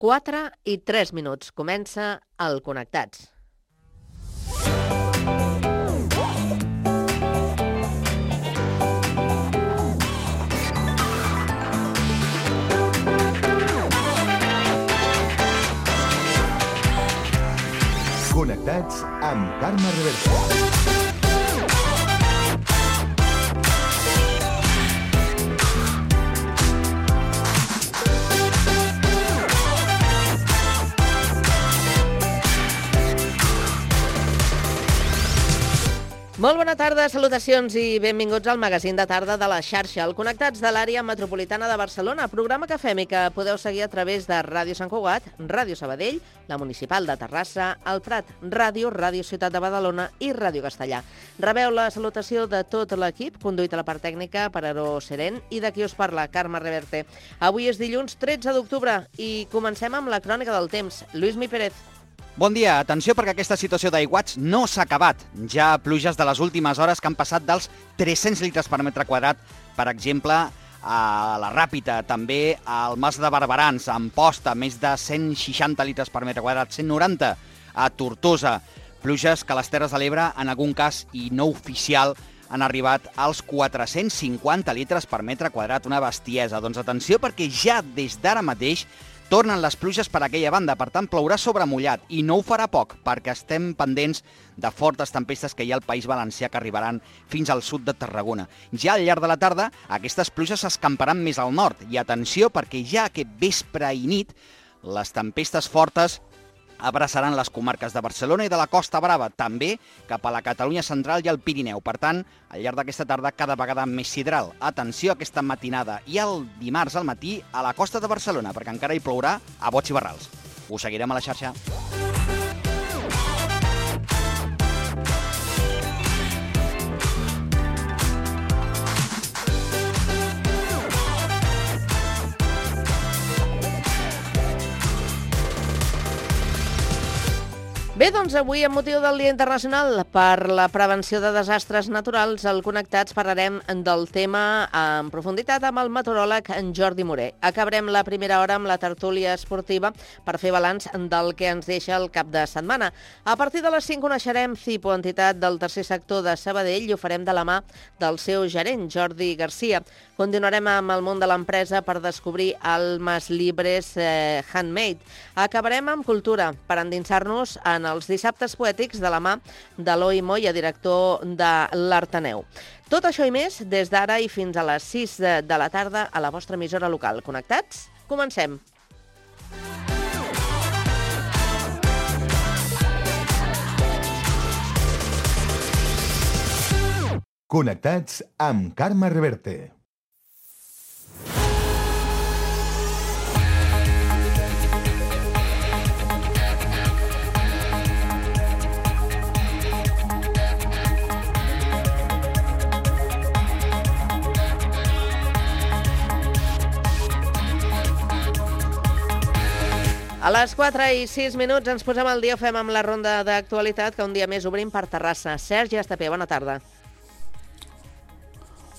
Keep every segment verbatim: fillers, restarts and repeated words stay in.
quatre i tres minuts. Comença el Connectats. Connectats amb Carme Reverte. Molt bona tarda, salutacions i benvinguts al magazín de tarda de la xarxa, el Connectats de l'àrea metropolitana de Barcelona, programa que fem i que podeu seguir a través de Ràdio Sant Cugat, Ràdio Sabadell, la Municipal de Terrassa, el Prat Ràdio, Ràdio Ciutat de Badalona i Ràdio Castellà. Rebeu la salutació de tot l'equip, conduït a la part tècnica per Aaró Serén i de qui us parla, Carme Reverte. Avui és dilluns tretze d'octubre i comencem amb la crònica del temps. Lluís Mi Pérez. Bon dia, atenció perquè aquesta situació d'aiguats no s'ha acabat. Ja pluges de les últimes hores que han passat dels tres-cents litres per metre quadrat, per exemple, a la Ràpita, també al Mas de Barberans, a Amposta, més de cent seixanta litres per metre quadrat, cent noranta a Tortosa. Pluges que a les Terres de l'Ebre, en algun cas i no oficial, han arribat als quatre-cents cinquanta litres per metre quadrat, una bestiesa. Doncs atenció perquè ja des d'ara mateix tornen les pluges per aquella banda, per tant plourà sobre mullat i no ho farà poc perquè estem pendents de fortes tempestes que hi ha al País Valencià que arribaran fins al sud de Tarragona. Ja al llarg de la tarda aquestes pluges s'escamparan més al nord i atenció perquè ja aquest vespre i nit les tempestes fortes abraçaran les comarques de Barcelona i de la Costa Brava, també cap a la Catalunya central i el Pirineu. Per tant, al llarg d'aquesta tarda cada vegada més sidral. Atenció a aquesta matinada i el dimarts al matí a la costa de Barcelona, perquè encara hi plourà a bots i barrals. Us seguirem a la xarxa. Bé, doncs avui, amb motiu del Dia Internacional per la Prevenció de Desastres Naturals, al Connectats parlarem del tema en profunditat amb el meteoròleg Jordi Moré. Acabarem la primera hora amb la tertúlia esportiva per fer balanç del que ens deixa el cap de setmana. A partir de les cinc coneixerem CIPO, entitat del tercer sector de Sabadell, i ho farem de la mà del seu gerent, Jordi Garcia. Continuarem amb el món de l'empresa per descobrir Almas Libres eh, Handmade. Acabarem amb cultura per endinsar-nos en els dissabtes poètics de la mà d'Eloi Moya, director de l'Arteneu. Tot això i més des d'ara i fins a les sis de la tarda a la vostra emissora local. Connectats? Comencem! Connectats amb Carme Reverte. A les quatre i sis minuts ens posem al dia, ho fem amb la ronda d'actualitat que un dia més obrim per Terrassa. Sergi Estapé, bona tarda.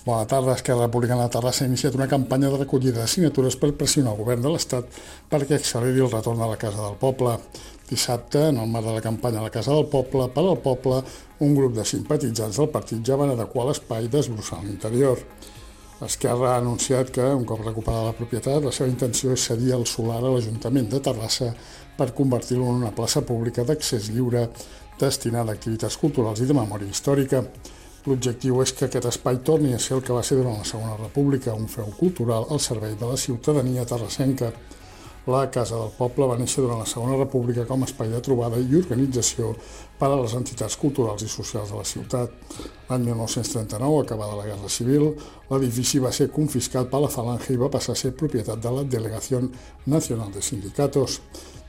Bona tarda. Esquerra Republicana de Terrassa ha iniciat una campanya de recollida de signatures per pressionar el govern de l'Estat perquè acceleri el retorn a la Casa del Poble. Dissabte, en el marc de la campanya a la Casa del Poble, per al Poble, un grup de simpatitzants del partit ja van adequar l'espai desbrossant l'interior. Esquerra ha anunciat que, un cop recuperada la propietat, la seva intenció és cedir el solar a l'Ajuntament de Terrassa per convertir-lo en una plaça pública d'accés lliure destinada a activitats culturals i de memòria històrica. L'objectiu és que aquest espai torni a ser el que va ser durant la Segona República, un feu cultural al servei de la ciutadania terrassenca. La Casa del Poble va néixer durant la Segona República com a espai de trobada i organització per a les entitats culturals i socials de la ciutat. L'any mil nou-cents trenta-nou, acabada la Guerra Civil, l'edifici va ser confiscat per la Falange i va passar a ser propietat de la Delegación Nacional de Sindicatos.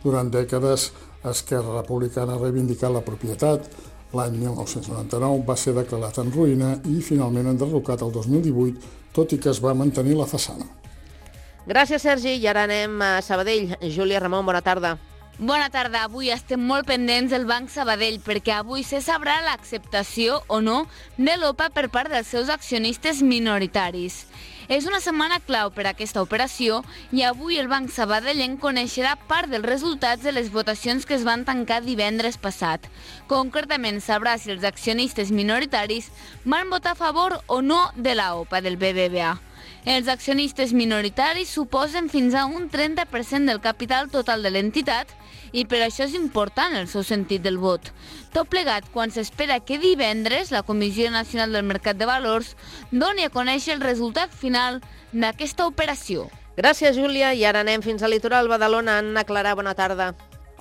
Durant dècades, Esquerra Republicana ha reivindicat la propietat. L'any mil nou-cents noranta-nou va ser declarat en ruïna i finalment enderrocat el dos mil divuit, tot i que es va mantenir la façana. Gràcies, Sergi. I ara anem a Sabadell. Júlia Ramon, bona tarda. Bona tarda. Avui estem molt pendents del Banc Sabadell perquè avui se sabrà l'acceptació o no de l'O P A per part dels seus accionistes minoritaris. És una setmana clau per a aquesta operació i avui el Banc Sabadellenc coneixerà part dels resultats de les votacions que es van tancar divendres passat. Concretament sabrà si els accionistes minoritaris van votar a favor o no de la O P A del B B V A. Els accionistes minoritaris suposen fins a un trenta per cent del capital total de l'entitat i per això és important el seu sentit del vot. Tot plegat quan s'espera que divendres la Comissió Nacional del Mercat de Valors doni a conèixer el resultat final d'aquesta operació. Gràcies, Júlia. I ara anem fins al litoral Badalona. Anna Clarà, bona tarda.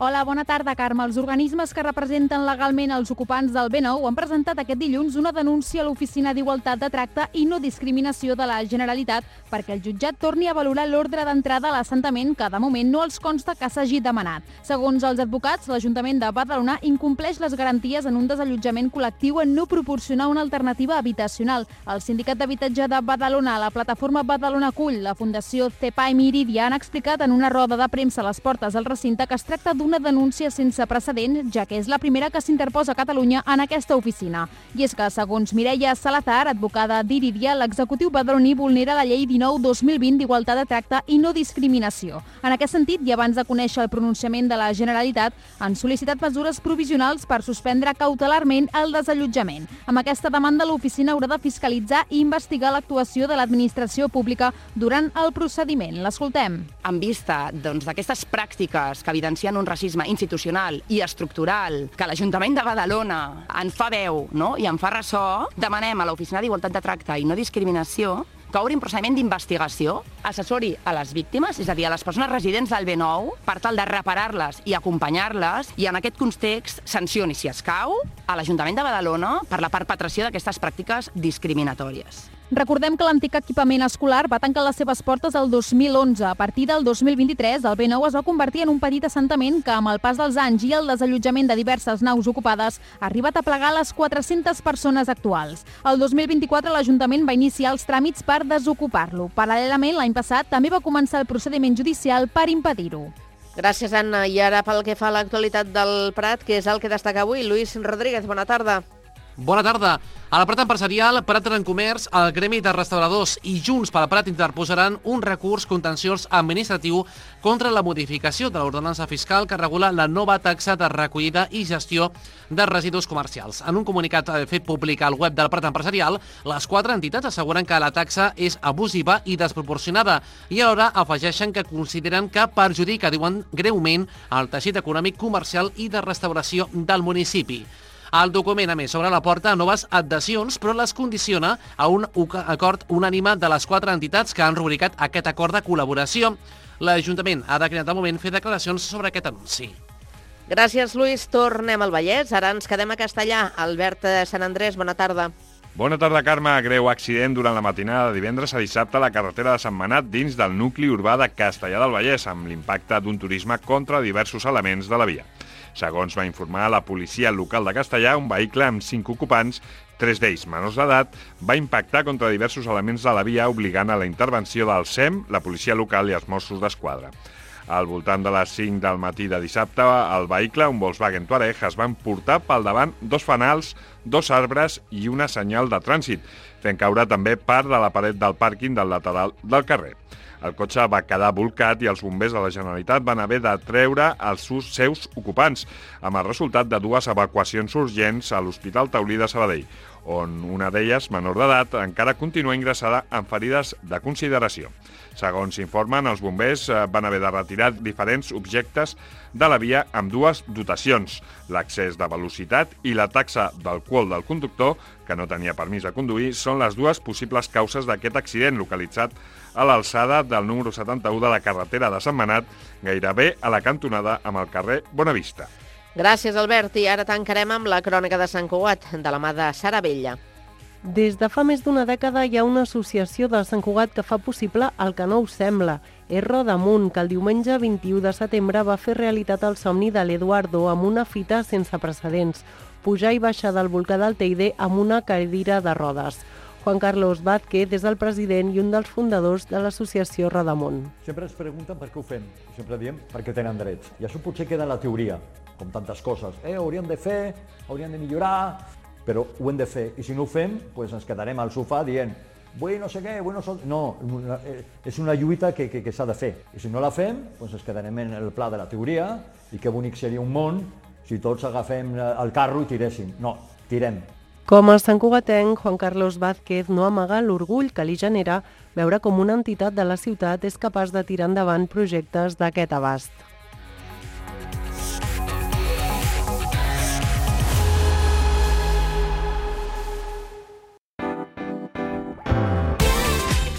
Hola, bona tarda, Carme. Els organismes que representen legalment els ocupants del B nou han presentat aquest dilluns una denúncia a l'Oficina d'Igualtat de Tracte i No Discriminació de la Generalitat perquè el jutjat torni a valorar l'ordre d'entrada a l'assentament que de moment no els consta que s'hagi demanat. Segons els advocats, l'Ajuntament de Badalona incompleix les garanties en un desallotjament col·lectiu en no proporcionar una alternativa habitacional. El Sindicat d'Habitatge de Badalona, la plataforma Badalona Cull, la Fundació CEPA i Miridia han explicat en una roda de premsa a les portes del recinte que es tracta d'una denúncia sense precedent, ja que és la primera que s'interposa a Catalunya en aquesta oficina. I és que, segons Mireia Salazar, advocada d'Iridia, l'executiu badaloní vulnera la llei dinou dos mil vint d'Igualtat de Tracte i No Discriminació. En aquest sentit, i abans de conèixer el pronunciament de la Generalitat, han sol·licitat mesures provisionals per suspendre cautelarment el desallotjament. Amb aquesta demanda, l'oficina haurà de fiscalitzar i investigar l'actuació de l'administració pública durant el procediment. L'escoltem. En vista doncs, d'aquestes pràctiques que evidencien un racisme institucional i estructural que l'Ajuntament de Badalona en fa veu, no? I en fa ressò, demanem a l'Oficina d'Igualtat de Tracte i No Discriminació que obri un procediment d'investigació, assessori a les víctimes, és a dir, a les persones residents del B nou, per tal de reparar-les i acompanyar-les, i en aquest context sancioni, si escau, a l'Ajuntament de Badalona per la perpetració d'aquestes pràctiques discriminatòries. Recordem que l'antic equipament escolar va tancar les seves portes el dos mil onze. A partir del dos mil vint-i-tres, el B nou es va convertir en un petit assentament que, amb el pas dels anys i el desallotjament de diverses naus ocupades, ha arribat a plegar les quatre-centes persones actuals. El dos mil vint-i-quatre, l'Ajuntament va iniciar els tràmits per desocupar-lo. Paral·lelament, l'any passat, també va començar el procediment judicial per impedir-ho. Gràcies, Anna. I ara pel que fa a l'actualitat del Prat, que és el que destaca avui, Lluís Rodríguez, bona tarda. Bona tarda. A la Prat Empresarial, Prat en Comerç, el Gremi de Restauradors i Junts pel Prat interposaran un recurs contenciós administratiu contra la modificació de l'ordenança fiscal que regula la nova taxa de recollida i gestió de residus comercials. En un comunicat fet públic al web del Prat Empresarial, les quatre entitats asseguren que la taxa és abusiva i desproporcionada i alhora afegeixen que consideren que perjudica, diuen, greument el teixit econòmic, comercial i de restauració del municipi. El document, a més, obre la porta a noves adhesions, però les condiciona a un acord unànime de les quatre entitats que han rubricat aquest acord de col·laboració. L'Ajuntament ha declinat de moment fer declaracions sobre aquest anunci. Gràcies, Lluís. Tornem al Vallès. Ara ens quedem a Castellà. Albert Sant Andrés, bona tarda. Bona tarda, Carme. Greu accident durant la matinada de divendres a dissabte a la carretera de Sant Manat dins del nucli urbà de Castellà del Vallès, amb l'impacte d'un turisme contra diversos elements de la via. Segons va informar la policia local de Castellà, un vehicle amb cinc ocupants, tres d'ells menors d'edat, va impactar contra diversos elements de la via, obligant a la intervenció del S E M, la policia local i els Mossos d'Esquadra. Al voltant de les cinc del matí de dissabte, el vehicle, un Volkswagen Touareg, es va emportar pel davant dos fanals, dos arbres i una senyal de trànsit, fent caure també part de la paret del pàrquing del lateral del carrer. El cotxe va quedar bolcat i els bombers de la Generalitat van haver de treure els seus ocupants, amb el resultat de dues evacuacions urgents a l'Hospital Taulí de Sabadell, on una d'elles, menor d'edat, encara continua ingressada amb ferides de consideració. Segons informen, els bombers van haver de retirar diferents objectes de la via amb dues dotacions, l'accés de velocitat i la taxa d'alcohol del conductor, que no tenia permís de conduir, són les dues possibles causes d'aquest accident localitzat a l'alçada del número setanta-u de la carretera de Sant Manat, gairebé a la cantonada amb el carrer Bonavista. Gràcies, Albert. I ara tancarem amb la crònica de Sant Cugat, de la mà de Sara Vella. Des de fa més d'una dècada hi ha una associació de Sant Cugat que fa possible el que no us sembla. És Rodamunt, que el diumenge vint-i-u de setembre va fer realitat el somni de l'Eduardo amb una fita sense precedents, pujar i baixar del volcà del Teide amb una cadira de rodes. Juan Carlos Vázquez és el president i un dels fundadors de l'associació Rodamunt. Sempre ens pregunten per què ho fem. Sempre diem perquè tenen drets. I això potser queda en la teoria, com tantes coses. Eh, hauríem de fer, hauríem de millorar, però ho hem de fer. I si no ho fem, doncs ens quedarem al sofà dient vull no sé què, vull no sé... No, és una lluita que, que, que s'ha de fer. I si no la fem, doncs ens quedarem en el pla de la teoria i que bonic seria un món si tots agafem el carro i tiréssim. No, tirem. Com a santcugatenc, Juan Carlos Vázquez no amaga l'orgull que li genera veure com una entitat de la ciutat és capaç de tirar endavant projectes d'aquest abast.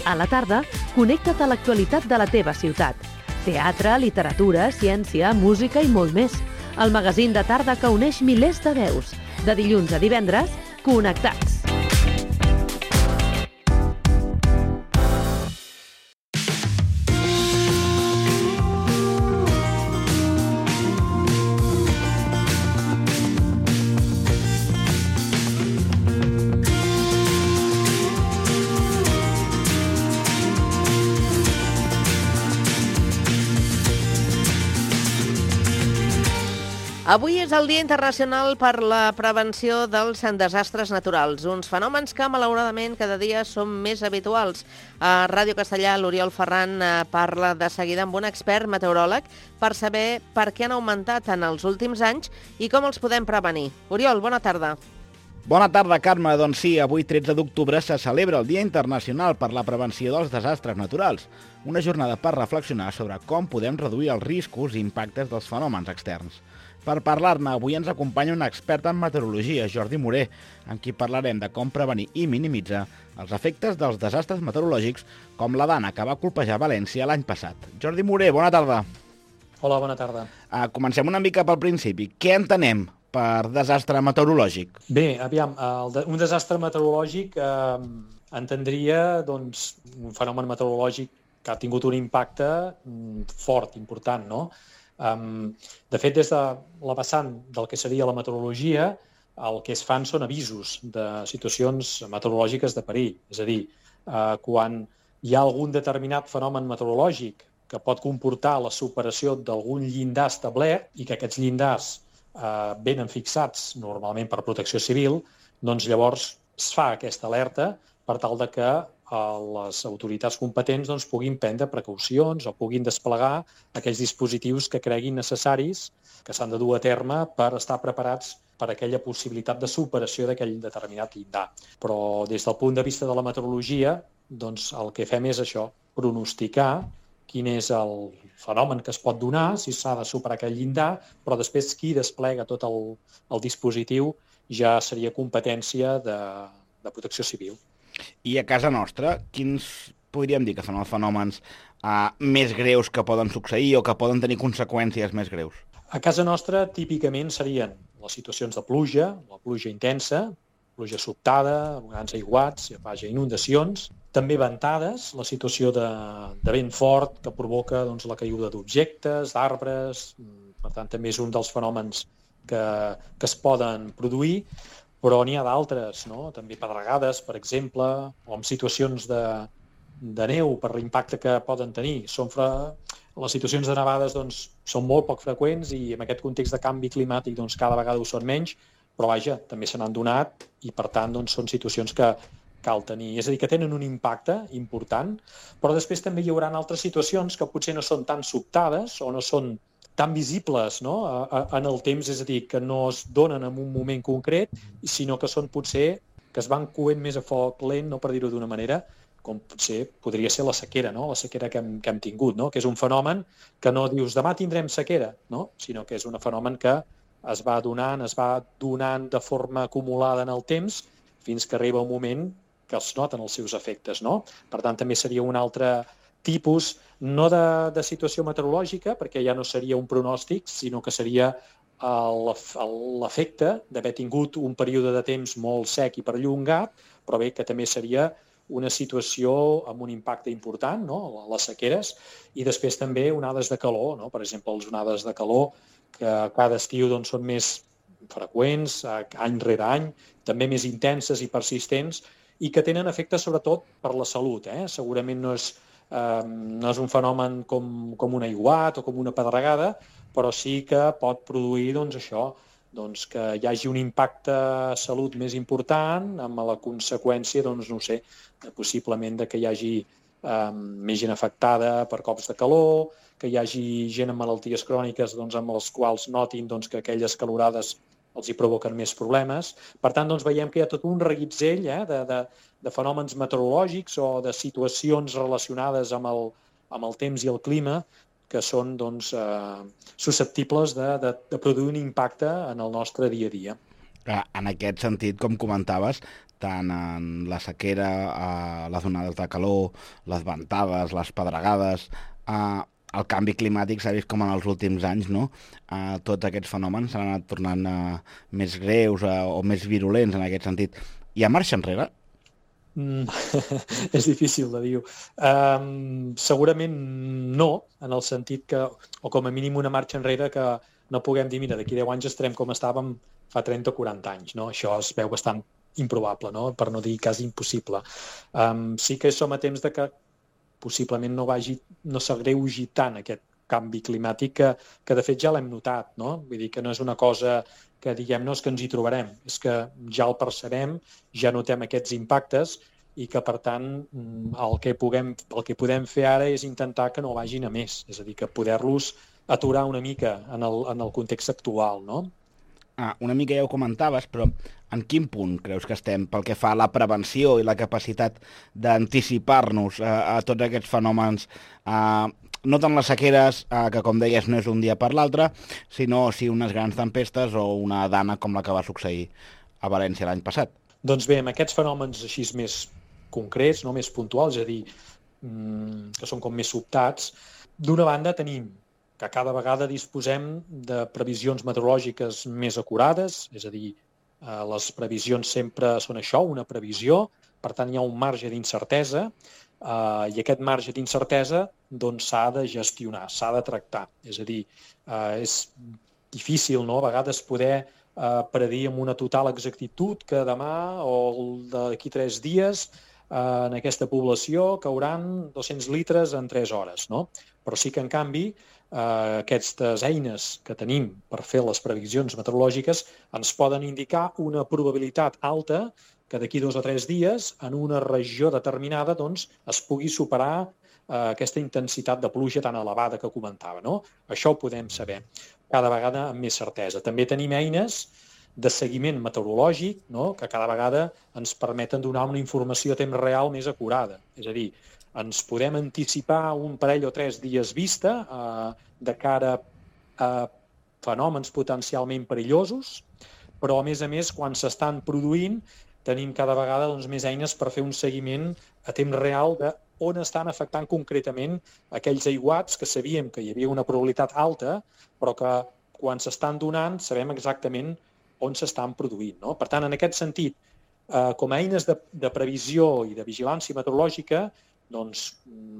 A la tarda, connecta't a l'actualitat de la teva ciutat. Teatre, literatura, ciència, música i molt més. El magazín de tarda que uneix milers de veus. De dilluns a divendres, Connectats. Avui és el Dia Internacional per la Prevenció dels Desastres Naturals, uns fenòmens que, malauradament, cada dia són més habituals. A Ràdio Castellà, l'Oriol Ferran parla de seguida amb un expert meteoròleg per saber per què han augmentat en els últims anys i com els podem prevenir. Oriol, bona tarda. Bona tarda, Carme. Doncs sí, avui, tretze d'octubre, se celebra el Dia Internacional per la Prevenció dels Desastres Naturals, una jornada per reflexionar sobre com podem reduir els riscos i impactes dels fenòmens externs. Per parlar-ne, avui ens acompanya un expert en meteorologia, Jordi Moré, amb qui parlarem de com prevenir i minimitzar els efectes dels desastres meteorològics com la dana que va colpejar València l'any passat. Jordi Moré, bona tarda. Hola, bona tarda. Uh, comencem una mica pel principi. Què entenem per desastre meteorològic? Bé, aviam, el de, un desastre meteorològic eh, entendria doncs, un fenomen meteorològic que ha tingut un impacte mm, fort, important, no? Um, de fet, des de la vessant del que seria la meteorologia, el que es fan són avisos de situacions meteorològiques de perill. És a dir, uh, quan hi ha algun determinat fenomen meteorològic que pot comportar la superació d'algun llindar establert i que aquests llindars uh, venen fixats normalment per protecció civil, doncs llavors es fa aquesta alerta per tal de que les autoritats competents doncs, puguin prendre precaucions o puguin desplegar aquells dispositius que creguin necessaris que s'han de dur a terme per estar preparats per aquella possibilitat de superació d'aquell determinat llindar. Però des del punt de vista de la meteorologia, doncs, el que fem és això, pronosticar quin és el fenomen que es pot donar, si s'ha de superar aquell llindar, però després qui desplega tot el, el dispositiu ja seria competència de, de protecció civil. I a casa nostra, quins podríem dir que són els fenòmens uh, més greus que poden succeir o que poden tenir conseqüències més greus? A casa nostra, típicament, serien les situacions de pluja, la pluja intensa, pluja sobtada, grans aiguats, vaja, inundacions, també ventades, la situació de, de vent fort que provoca doncs, la caiguda d'objectes, d'arbres, per tant, també és un dels fenòmens que, que es poden produir, però n'hi ha d'altres, no? També pedregades, per exemple, o en situacions de, de neu per l'impacte que poden tenir. Són fra... Les situacions de nevades doncs, són molt poc freqüents i en aquest context de canvi climàtic doncs, cada vegada ho són menys, però vaja, també se n'han donat i per tant doncs, són situacions que cal tenir. És a dir, que tenen un impacte important, però després també hi haurà altres situacions que potser no són tan sobtades o no són tan visibles, no? En el temps, és a dir, que no es donen en un moment concret, sinó que són potser que es van coent més a foc lent, no per dir-ho d'una manera, com potser podria ser la sequera, no? La sequera que hem, que hem tingut, no? Que és un fenomen que no dius demà tindrem sequera, no? Sinó que és un fenomen que es va donant, es va donant de forma acumulada en el temps fins que arriba un moment que els noten els seus efectes, no? Per tant, també seria un altre tipus, no de, de situació meteorològica, perquè ja no seria un pronòstic, sinó que seria l'efecte d'haver tingut un període de temps molt sec i perllongat, però bé, que també seria una situació amb un impacte important, no? Les sequeres, i després també onades de calor, no? Per exemple, les onades de calor, que cada estiu doncs, són més freqüents, any rere any, també més intenses i persistents, i que tenen efectes sobretot per la salut. Eh? Segurament no és Uh, no és un fenomen com, com un aiguat o com una pedregada, però sí que pot produir doncs, això, doncs, que hi hagi un impacte a salut més important, amb la conseqüència, doncs, no sé, possiblement de que hi hagi eh, més gent afectada per cops de calor, que hi hagi gent amb malalties cròniques doncs, amb les quals notin doncs, que aquelles calorades els hi provoquen més problemes. Per tant, doncs, veiem que hi ha tot un reguitzell eh, de, de, de fenòmens meteorològics o de situacions relacionades amb el, amb el temps i el clima que són doncs, eh, susceptibles de, de, de produir un impacte en el nostre dia a dia. En aquest sentit, com comentaves, tant en la sequera, a les onades de calor, les ventades, les pedregades, eh, el canvi climàtic s'ha vist com en els últims anys, no? Eh, tots aquests fenòmens s'han anat tornant eh, més greus eh, o més virulents en aquest sentit. Hi ha marxa enrere? Mm, és difícil de dir. Um, segurament no, en el sentit que, o com a mínim una marxa enrere que no puguem dir, mira, d'aquí deu anys estarem com estàvem fa trenta o quaranta anys, no? Això es veu bastant improbable, no? Per no dir quasi impossible. Um, sí que som a temps de que possiblement no vagi, no s'agreugi tant aquest canvi climàtic que, que de fet ja l'hem notat, no? Vull dir que no és una cosa que diguem, no, és que ens hi trobarem, és que ja el percebem, ja notem aquests impactes i que, per tant, el que, puguem, el que podem fer ara és intentar que no vagin a més, és a dir, que poder-los aturar una mica en el, en el context actual, no? Ah, una mica ja ho comentaves, però en quin punt creus que estem pel que fa a la prevenció i la capacitat d'anticipar-nos a, a tots aquests fenòmens, a, no tant les sequeres, a, que com deies no és un dia per l'altre, sinó si unes grans tempestes o una dana com la que va succeir a València l'any passat? Doncs bé, amb aquests fenòmens així més concrets, no més puntuals, és a dir, que són com més sobtats, d'una banda tenim que cada vegada disposem de previsions meteorològiques més acurades, és a dir, les previsions sempre són això, una previsió, per tant hi ha un marge d'incertesa, Uh, i aquest marge d'incertesa doncs, s'ha de gestionar, s'ha de tractar. És a dir, uh, és difícil, no?, a vegades poder uh, predir amb una total exactitud que demà o d'aquí tres dies uh, en aquesta població cauran dos-cents litres en tres hores, no? Però sí que, en canvi, uh, aquestes eines que tenim per fer les previsions meteorològiques ens poden indicar una probabilitat alta que d'aquí dos o tres dies, en una regió determinada, doncs, es pugui superar eh, aquesta intensitat de pluja tan elevada que comentava, no? Això ho podem saber cada vegada amb més certesa. També tenim eines de seguiment meteorològic, no?, que cada vegada ens permeten donar una informació a temps real més acurada. És a dir, ens podem anticipar un parell o tres dies vista eh, de cara a fenòmens potencialment perillosos, però, a més a més, quan s'estan produint, tenim cada vegada doncs, més eines per fer un seguiment a temps real de on estan afectant concretament aquells aiguats que sabíem que hi havia una probabilitat alta, però que quan s'estan donant sabem exactament on s'estan produint, no? Per tant, en aquest sentit, eh, com a eines de, de previsió i de vigilància meteorològica, doncs,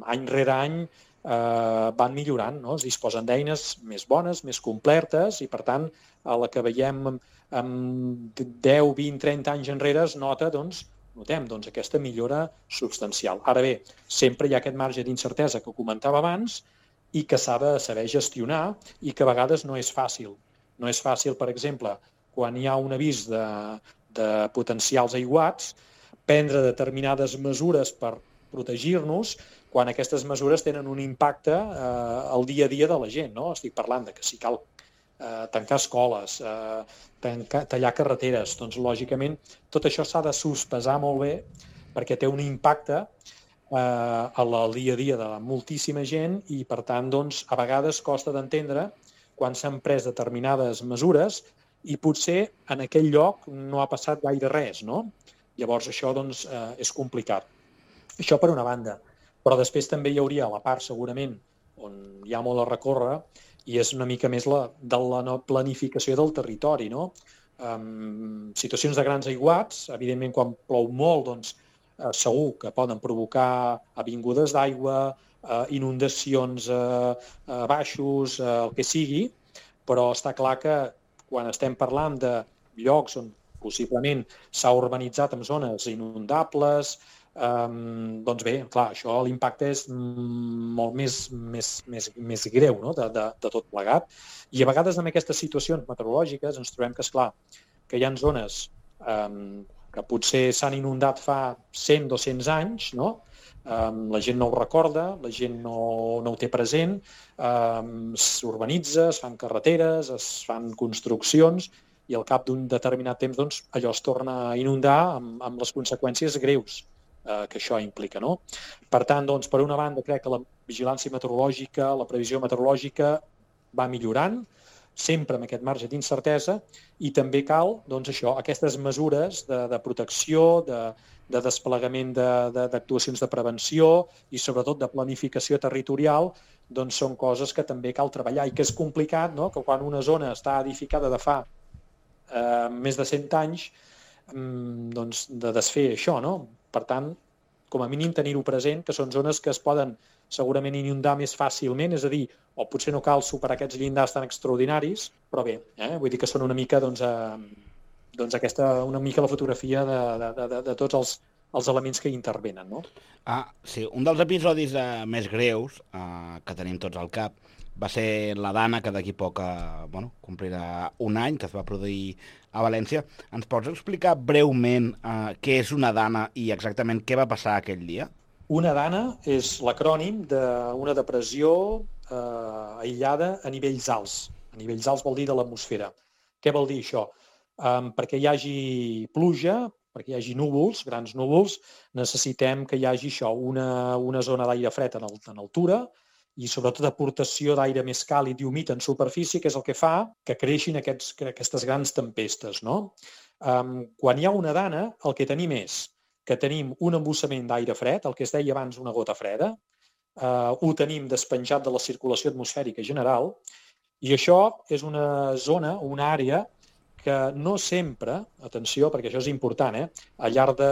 any rere any eh, van millorant, no? Es disposen d'eines més bones, més completes, i per tant, a la que veiem amb deu, vint, trenta anys enrere es nota, doncs, notem doncs, aquesta millora substancial. Ara bé, sempre hi ha aquest marge d'incertesa que comentava abans i que s'ha de saber gestionar i que a vegades no és fàcil. No és fàcil, per exemple, quan hi ha un avís de, de potencials aiguats, prendre determinades mesures per protegir-nos quan aquestes mesures tenen un impacte eh, al dia a dia de la gent, no? Estic parlant de que si cal Eh, tancar escoles, eh, tancar, tallar carreteres, doncs lògicament tot això s'ha de sospesar molt bé perquè té un impacte eh, al dia a dia de moltíssima gent i per tant doncs, a vegades costa d'entendre quan s'han pres determinades mesures i potser en aquell lloc no ha passat gaire res, no? Llavors això doncs, eh, és complicat. Això per una banda, però després també hi hauria la part segurament on hi ha molt a recórrer i és una mica més la, de la no planificació del territori, no? Um, situacions de grans aiguats, evidentment quan plou molt, doncs eh, segur que poden provocar avingudes d'aigua, eh, inundacions a eh, eh, baixos, eh, el que sigui, però està clar que quan estem parlant de llocs on possiblement s'ha urbanitzat en zones inundables, Um, doncs bé, clar, això l'impacte és molt més, més, més, més greu, no?, de, de, de tot plegat. I a vegades en aquestes situacions meteorològiques ens trobem que, esclar, que hi ha zones um, que potser s'han inundat fa cent o dos-cents anys, no?, Um, la gent no ho recorda, la gent no, no ho té present, um, s'urbanitza, es fan carreteres, es fan construccions i al cap d'un determinat temps doncs, allò es torna a inundar amb, amb les conseqüències greus eh, que això implica, no? Per tant, doncs, per una banda, crec que la vigilància meteorològica, la previsió meteorològica va millorant, sempre amb aquest marge d'incertesa, i també cal, doncs això, aquestes mesures de, de protecció, de, de desplegament d'actuacions de, de, de prevenció i sobretot de planificació territorial, doncs són coses que també cal treballar i que és complicat, no?, que quan una zona està edificada de fa eh, més de cent anys, doncs de desfer això, no? Per tant, com a mínim tenir-ho present, que són zones que es poden segurament inundar més fàcilment, és a dir, o potser no cal superar aquests llindars tan extraordinaris, però bé, eh? vull dir que són una mica, doncs, eh, doncs aquesta, una mica la fotografia de, de, de, de tots els, els elements que hi intervenen, no? Ah, sí, un dels episodis eh, més greus eh, que tenim tots al cap va ser la Dana, que d'aquí poc eh, bueno, complirà un any, que es va produir a València. Ens pots explicar breument eh, què és una Dana i exactament què va passar aquell dia? Una Dana és l'acrònim d'una depressió eh, aïllada a nivells alts. A nivells alts vol dir de l'atmosfera. Què vol dir això? Um, perquè hi hagi pluja, perquè hi hagi núvols, grans núvols, necessitem que hi hagi això, una, una zona d'aire fred en, el, en altura i sobretot aportació d'aire més càlid i humit en superfície, que és el que fa que creixin aquests, aquestes grans tempestes, no? Um, quan hi ha una Dana, el que tenim és que tenim un embussament d'aire fred, el que es deia abans una gota freda, eh, ho tenim despenjat de la circulació atmosfèrica general, i això és una zona, una àrea que no sempre, atenció, perquè això és important, eh, al llarg de,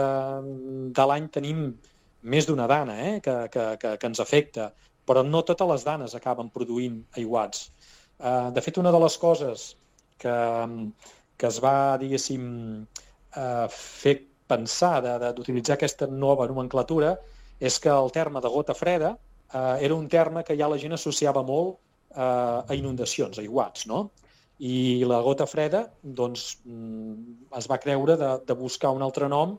de l'any tenim més d'una Dana eh, que, que, que, que ens afecta, però no totes les danes acaben produint aiguats. Eh, de fet, una de les coses que, que es va, diguéssim, eh, fer pensar d'utilitzar aquesta nova nomenclatura és que el terme de gota freda eh, era un terme que ja la gent associava molt eh, a inundacions, a aiguats, no? I la gota freda doncs, es va creure de, de buscar un altre nom,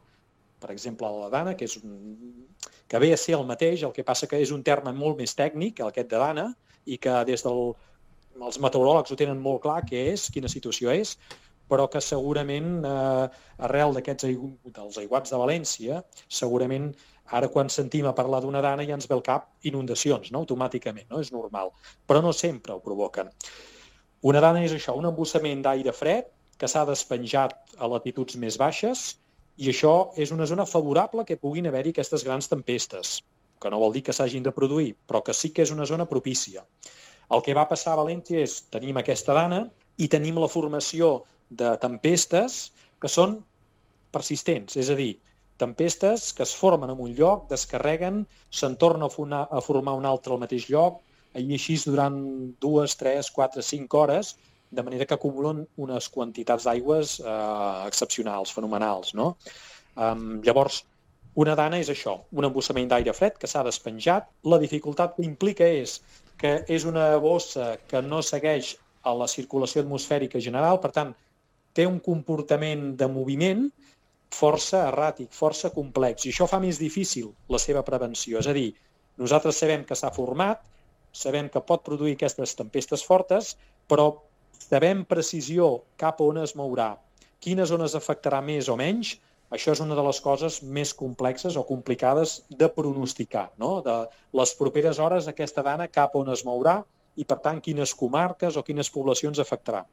per exemple la Dana, que, és un, que ve a ser el mateix, el que passa que és un terme molt més tècnic, aquest de Dana, i que des dels del, meteoròlegs ho tenen molt clar què és, quina situació és, però que segurament eh, arrel d'aquests aigu dels aiguats de València, segurament ara quan sentim a parlar d'una Dana ja ens ve al cap inundacions, no? Automàticament, no? És normal, però no sempre ho provoquen. Una Dana és això, un embussament d'aire fred que s'ha despenjat a latituds més baixes i això és una zona favorable que puguin haver-hi aquestes grans tempestes, que no vol dir que s'hagin de produir, però que sí que és una zona propícia. El que va passar a València és tenim aquesta Dana i tenim la formació de tempestes que són persistents, és a dir, tempestes que es formen en un lloc, descarreguen, se'n torna a formar un altre al mateix lloc, i així durant dues, tres, quatre, cinc hores, de manera que acumulen unes quantitats d'aigües eh, excepcionals, fenomenals, no? Um, llavors, una Dana és això, un embussament d'aire fred que s'ha despenjat. La dificultat que implica és que és una bossa que no segueix a la circulació atmosfèrica general, per tant, té un comportament de moviment força erràtic, força complex, i això fa més difícil la seva prevenció. És a dir, nosaltres sabem que s'ha format, sabem que pot produir aquestes tempestes fortes, però sabem precisió cap on es mourà, quines zones afectarà més o menys, això és una de les coses més complexes o complicades de pronosticar, no? De les properes hores aquesta Dana cap on es mourà i, per tant, quines comarques o quines poblacions afectarà.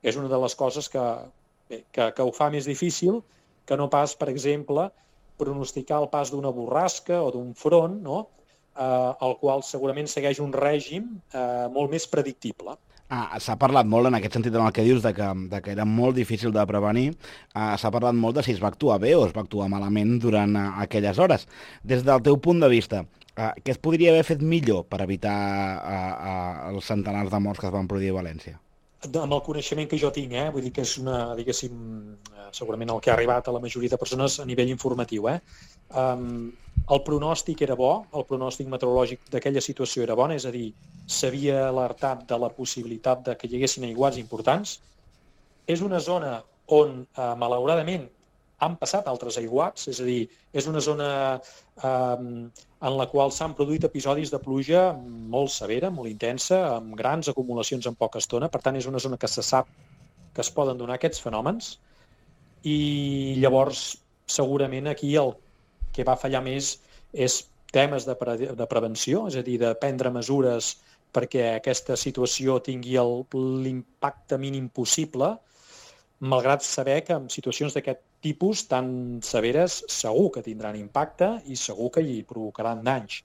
És una de les coses que, bé, que, que ho fa més difícil que no pas, per exemple, pronosticar el pas d'una borrasca o d'un front, no? eh, el qual segurament segueix un règim eh, molt més predictible. Ah, s'ha parlat molt en aquest sentit en el que dius de que, de que era molt difícil de prevenir. Ah, s'ha parlat molt de si es va actuar bé o es va actuar malament durant ah, aquelles hores. Des del teu punt de vista, ah, què es podria haver fet millor per evitar ah, ah, els centenars de morts que es van produir a València? amb el coneixement que jo tinc, eh? Vull dir que és una, diguéssim, segurament el que ha arribat a la majoria de persones a nivell informatiu, eh? Um, el pronòstic era bo, el pronòstic meteorològic d'aquella situació era bon, és a dir, s'havia alertat de la possibilitat de que hi haguessin aiguats importants. És una zona on, eh, malauradament, han passat altres aiguats, és a dir, és una zona eh, en la qual s'han produït episodis de pluja molt severa, molt intensa, amb grans acumulacions en poca estona. Per tant, és una zona que se sap que es poden donar aquests fenòmens i llavors segurament aquí el que va fallar més és temes de, pre de prevenció, és a dir, de prendre mesures perquè aquesta situació tingui l'impacte mínim possible, malgrat saber que en situacions d'aquest tipus tan severes segur que tindran impacte i segur que hi provocaran danys.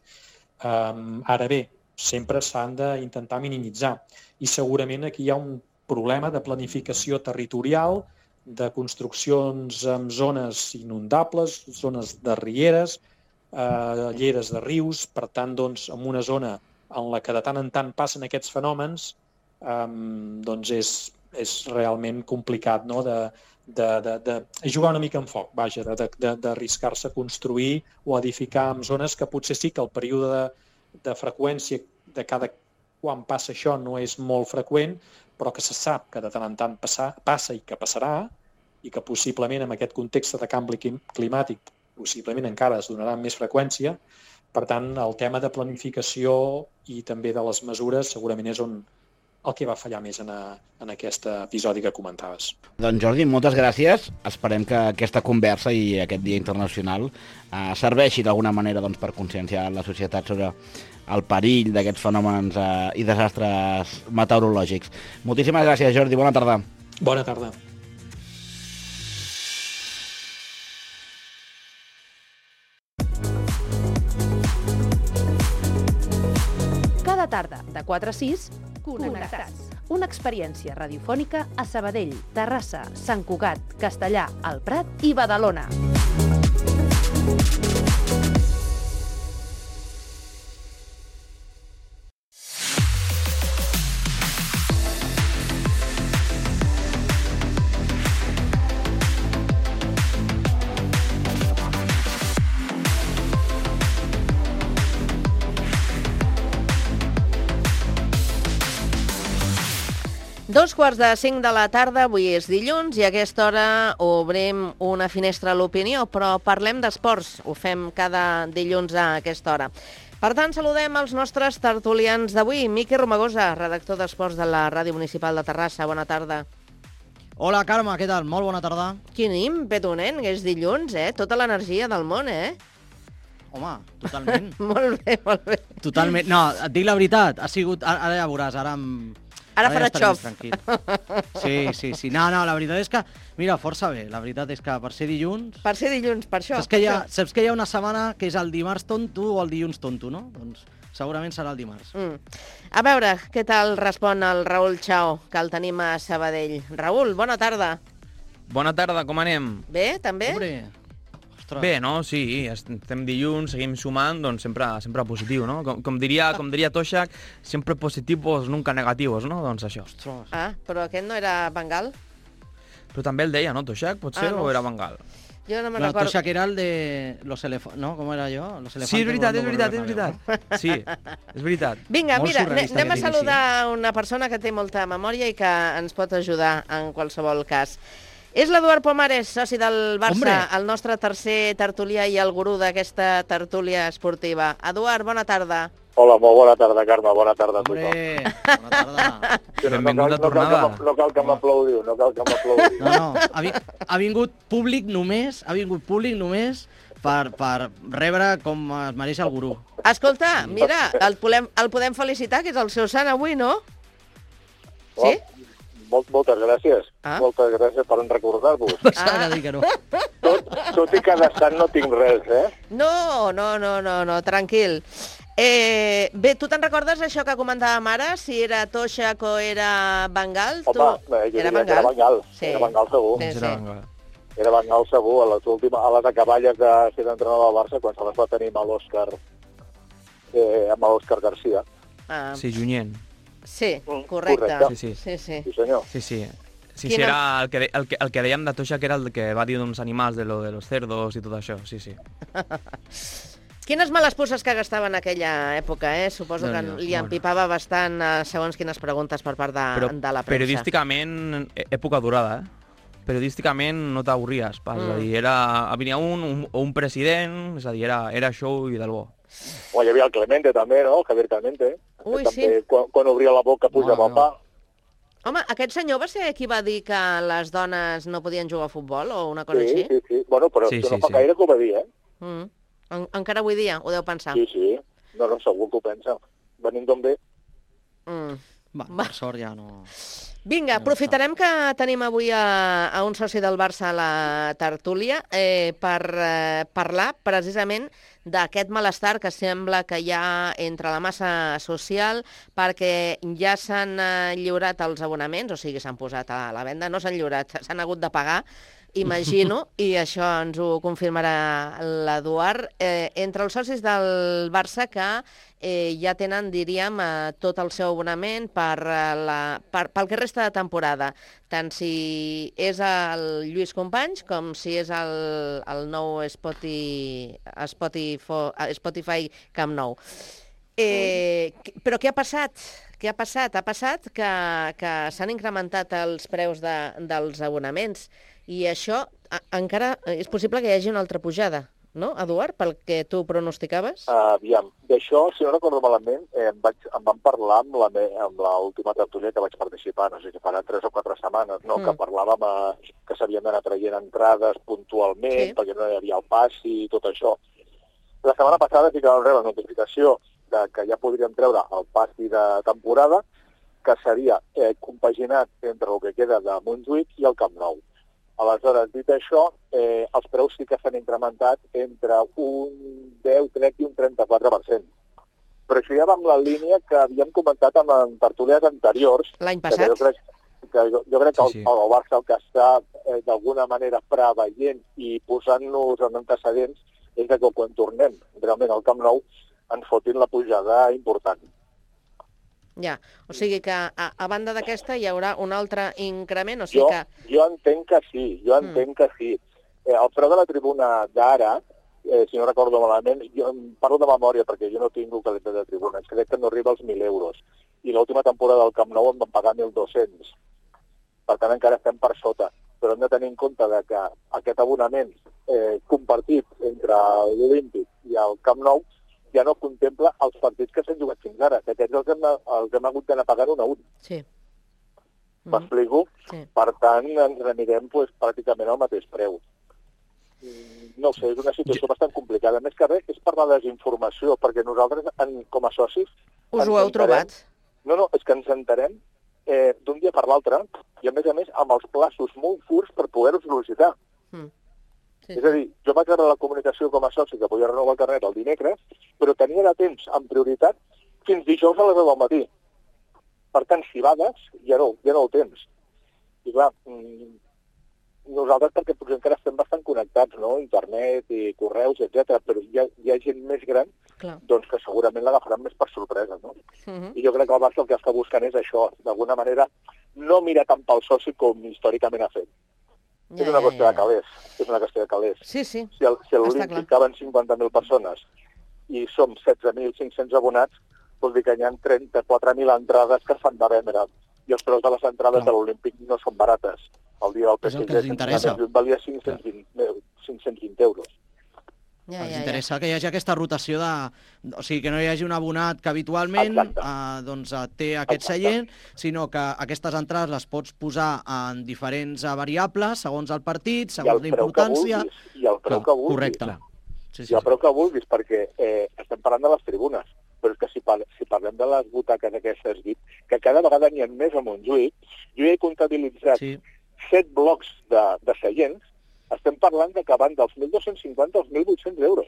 Um, ara bé, sempre s'han d'intentar minimitzar i segurament aquí hi ha un problema de planificació territorial, de construccions en zones inundables, zones de rieres, eh, lleres de rius, per tant, doncs, en una zona en la que de tant en tant passen aquests fenòmens, eh, doncs és, és realment complicat, no?, de, de, de, de jugar una mica en foc, vaja, d'arriscar-se a construir o edificar en zones que potser sí que el període de, de freqüència de cada quan passa això no és molt freqüent, però que se sap que de tant en tant passa, passa i que passarà, i que possiblement en aquest context de canvi climàtic possiblement encara es donarà amb més freqüència. Per tant, el tema de planificació i també de les mesures segurament és on el que va fallar més en, a, en aquest episodi que comentaves. Doncs Jordi, moltes gràcies. Esperem que aquesta conversa i aquest Dia Internacional eh, serveixi d'alguna manera doncs, per conscienciar la societat sobre el perill d'aquests fenòmens eh, i desastres meteorològics. Moltíssimes gràcies, Jordi. Bona tarda. Bona tarda. Cada tarda, de quatre a sis, Connectats. Una experiència radiofònica a Sabadell, Terrassa, Sant Cugat, Castellà, El Prat i Badalona. Dos quarts de cinc de la tarda, avui és dilluns, i a aquesta hora obrim una finestra a l'opinió, però parlem d'esports. Ho fem cada dilluns a aquesta hora. Per tant, saludem els nostres tertulians d'avui. Miqui Romagosa, redactor d'esports de la Ràdio Municipal de Terrassa. Bona tarda. Hola, Carme, què tal? Molt bona tarda. Quin ímpetu, nen, que és dilluns, eh? Tota l'energia del món, eh? Home, totalment. Molt bé, molt bé. Totalment. No, et dic la veritat, ha sigut... Ara ja veuràs, ara em... Ara, Ara farà ja xof. Sí, sí, sí. No, no, la veritat és que... Mira, força bé. La veritat és que per ser dilluns... Per ser dilluns, per això. Saps que hi ha, saps que hi ha una setmana que és el dimarts tonto o el dilluns tonto, no? Doncs segurament serà el dimarts. Mm. A veure, què tal respon el Raül Chao, que el tenim a Sabadell. Raül, bona tarda. Bona tarda, com anem? Bé, també? Hombre. Bé, no? Sí, estem dilluns, seguim sumant, doncs sempre, sempre positiu, no? Com, com, diria, com diria Toshak, sempre positivos, nunca negativos, no? Doncs això. Ah, però aquest no era Bengal? Però també el deia, no, Toshak? Potser, ah, no. O era Bengal? Jo no me'n no, recordo. Toshak era el de los elefantes, no? Com era jo? Los sí, és veritat, és veritat, és veritat. Sí, és veritat. Vinga, mira, anem a saludar una persona que té molta memòria i que ens pot ajudar en qualsevol cas. És l'Eduard Pomares, soci del Barça, Hombre. El nostre tercer tertulià i el gurú d'aquesta tertúlia esportiva. Eduard, bona tarda. Hola, molt bona tarda, Carme, bona tarda a tothom. Hombre, bona tarda. Benvingut a tornada. No cal que m'aplaudiu, no cal que m'aplaudiu. No, no, ha, vi ha vingut públic només, ha vingut públic només per, per rebre com es mereix el gurú. Escolta, mira, el podem, el podem felicitar, que és el seu sant avui, no? Sí? Molt, moltes gràcies. Ah? Moltes gràcies per recordar-vos. Ah. Que no. tot, tot i que de sant no tinc res, eh? No, no, no, no, no, tranquil. Eh, bé, tu te'n recordes això que comentàvem ara? Si era Toshak o era Bengal? Home, tu... eh, jo era Bengal. Era Bengal, sí. Era Bengal segur. Sí, sí. Era Bengal. Era Bengal segur, a les, últimes, a les acaballes de ser d'entrenador del Barça, quan se les va tenir amb l'Òscar, eh, amb l'Òscar Garcia. Ah. Sí, Junyent. Sí, correcte. Sí, sí. Sí, sí. Sí, senyor. Sí, sí. Sí, Quina- sí, era el que, de- el, que, el que dèiem de Toixa, que era el que va dir d'uns animals, de lo de los cerdos i tot això, sí, sí. Quines males puces que gastava en aquella època, eh? Suposo que Déu-n'hi-do, li empipava bastant eh, segons quines preguntes per part de, Però de la premsa. periodísticament, eh, època durada, eh? Periodísticament no t'avorries pas, Mm. és a dir, era, venia un, un, un president, és a dir, era, era show i del bo. O hi havia el Clemente també, no? Javier Clemente. Ui, que sí. també, quan, quan obria la boca pujava el pa. Home, aquest senyor va ser qui va dir que les dones no podien jugar a futbol o una cosa Sí, així? sí, sí. Bueno, però Sí, sí, sí, no fa sí. gaire que ho va dir, eh? Mm. En, encara avui dia ho deu pensar. Sí, sí. No, no, segur que ho pensa. Venint d'on ve. Mm. Va, per sort ja no... Vinga, aprofitarem que tenim avui a, a un soci del Barça a la tertúlia eh, per eh, parlar precisament d'aquest malestar que sembla que hi ha entre la massa social perquè ja s'han eh, lliurat els abonaments, o sigui, s'han posat a la venda, no s'han lliurat, s'han hagut de pagar, imagino, i això ens ho confirmarà l'Eduard, eh, entre els socis del Barça que eh, ja tenen, diríem, eh, tot el seu abonament per, eh, la, per, pel que resta de temporada, tant si és el Lluís Companys com si és el, el nou Spotify, Spotify, Spotify Camp Nou. Eh, però què ha passat? Què ha passat? Ha passat que, que s'han incrementat els preus de, dels abonaments i això a, encara és possible que hi hagi una altra pujada, no, Eduard, pel que tu pronosticaves? Uh, aviam, d'això, si no recordo malament, eh, em, vaig, em van parlar amb la me- amb l'última tertúlia que vaig participar, no sé si farà tres o quatre setmanes, no? Mm. que parlàvem eh, que s'havien d'anar traient entrades puntualment, Sí. perquè no hi havia el passi i tot això. La setmana passada sí que vam rebre la notificació de que ja podríem treure el passi de temporada, que seria eh, compaginat entre el que queda de Montjuïc i el Camp Nou. Aleshores, dit això, eh, els preus sí que s'han incrementat entre un deu, crec, i un trenta-quatre per cent. Però això ja va amb la línia que havíem comentat amb en tertúlies anteriors. L'any que passat? Jo crec que, jo, jo crec que Sí, el, sí. el Barça el que està eh, d'alguna manera preveient i posant-nos en antecedents és que quan tornem realment al Camp Nou ens fotin la pujada important. Ja, o sigui que a, a banda d'aquesta hi haurà un altre increment, o sigui Jo, que... jo entenc que sí, jo entenc que sí. Eh, el preu de la tribuna d'ara, eh, si no recordo malament, jo em parlo de memòria perquè jo no tinc localitat de tribunes, crec que no arriba als mil euros. I l'última temporada del Camp Nou em van pagar mil dos-cents. Per tant, encara estem per sota. Però hem de tenir en compte de que aquest abonament eh, compartit entre l'Olímpic i el Camp Nou ja no contempla els partits que s'han jugat fins ara, que aquests els hem, els hem hagut d'anar pagant un a un. Sí. M'explico? Sí. Per tant, ens n'anirem pues, pràcticament al mateix preu. Mm, No ho sé, és una situació bastant complicada. Més que res és per la desinformació, perquè nosaltres, en, com a socis... Us ens ho heu enterem- trobat? No, no, és que ens enterem eh, d'un dia per l'altre i, a més a més, amb els plaços molt curts per poder-ho sol·licitar. Mm. Sí. És a dir, jo vaig rebre la comunicació com a soci que podia renovar el carnet el dimecres, però tenia de temps, en prioritat, fins dijous a les deu del matí. Per tant, si vades, ja no, ja no ho tens. I clar, mm, nosaltres perquè potser encara estem bastant connectats, no?, internet i correus, etcètera, però hi ha, hi ha gent més gran Clar. doncs que segurament l'agafaran més per sorpresa, no? Mhm. I jo crec que el Barça el que està buscant és això, d'alguna manera, no mirar tant pel soci com històricament ha fet. Ja, és una ja, qüestió ja. de calés, és una qüestió de calés. Sí, sí. Si, el, si Està l'Olímpic clar. caben cinquanta mil persones i som setze mil cinc-cents abonats, vol dir que hi ha trenta-quatre mil entrades que s'han de vendre. I els preus de les entrades de l'Olímpic no són barates. El dia del És el P S G que ens interessa. valia cinc-cents vint, cinc-cents vint euros. Ja, Ens ja, interessa que hi hagi aquesta rotació de... O sigui, que no hi hagi un abonat que habitualment eh, doncs, eh, té aquest seient, sinó que aquestes entrades les pots posar en diferents eh, variables, segons el partit, segons la preu que importància... vulguis, I el preu Clar, que vulguis. correcte. Sí, I el preu que vulguis, perquè eh, estem parlant de les tribunes. Però és que si, par si parlem de les butaques aquestes V I P, que cada vegada n'hi ha més a Montjuïc, jo ja he comptabilitzat sí. set blocs de, de seients, estem parlant de que van dels mil dos-cents cinquanta als mil vuit-cents euros.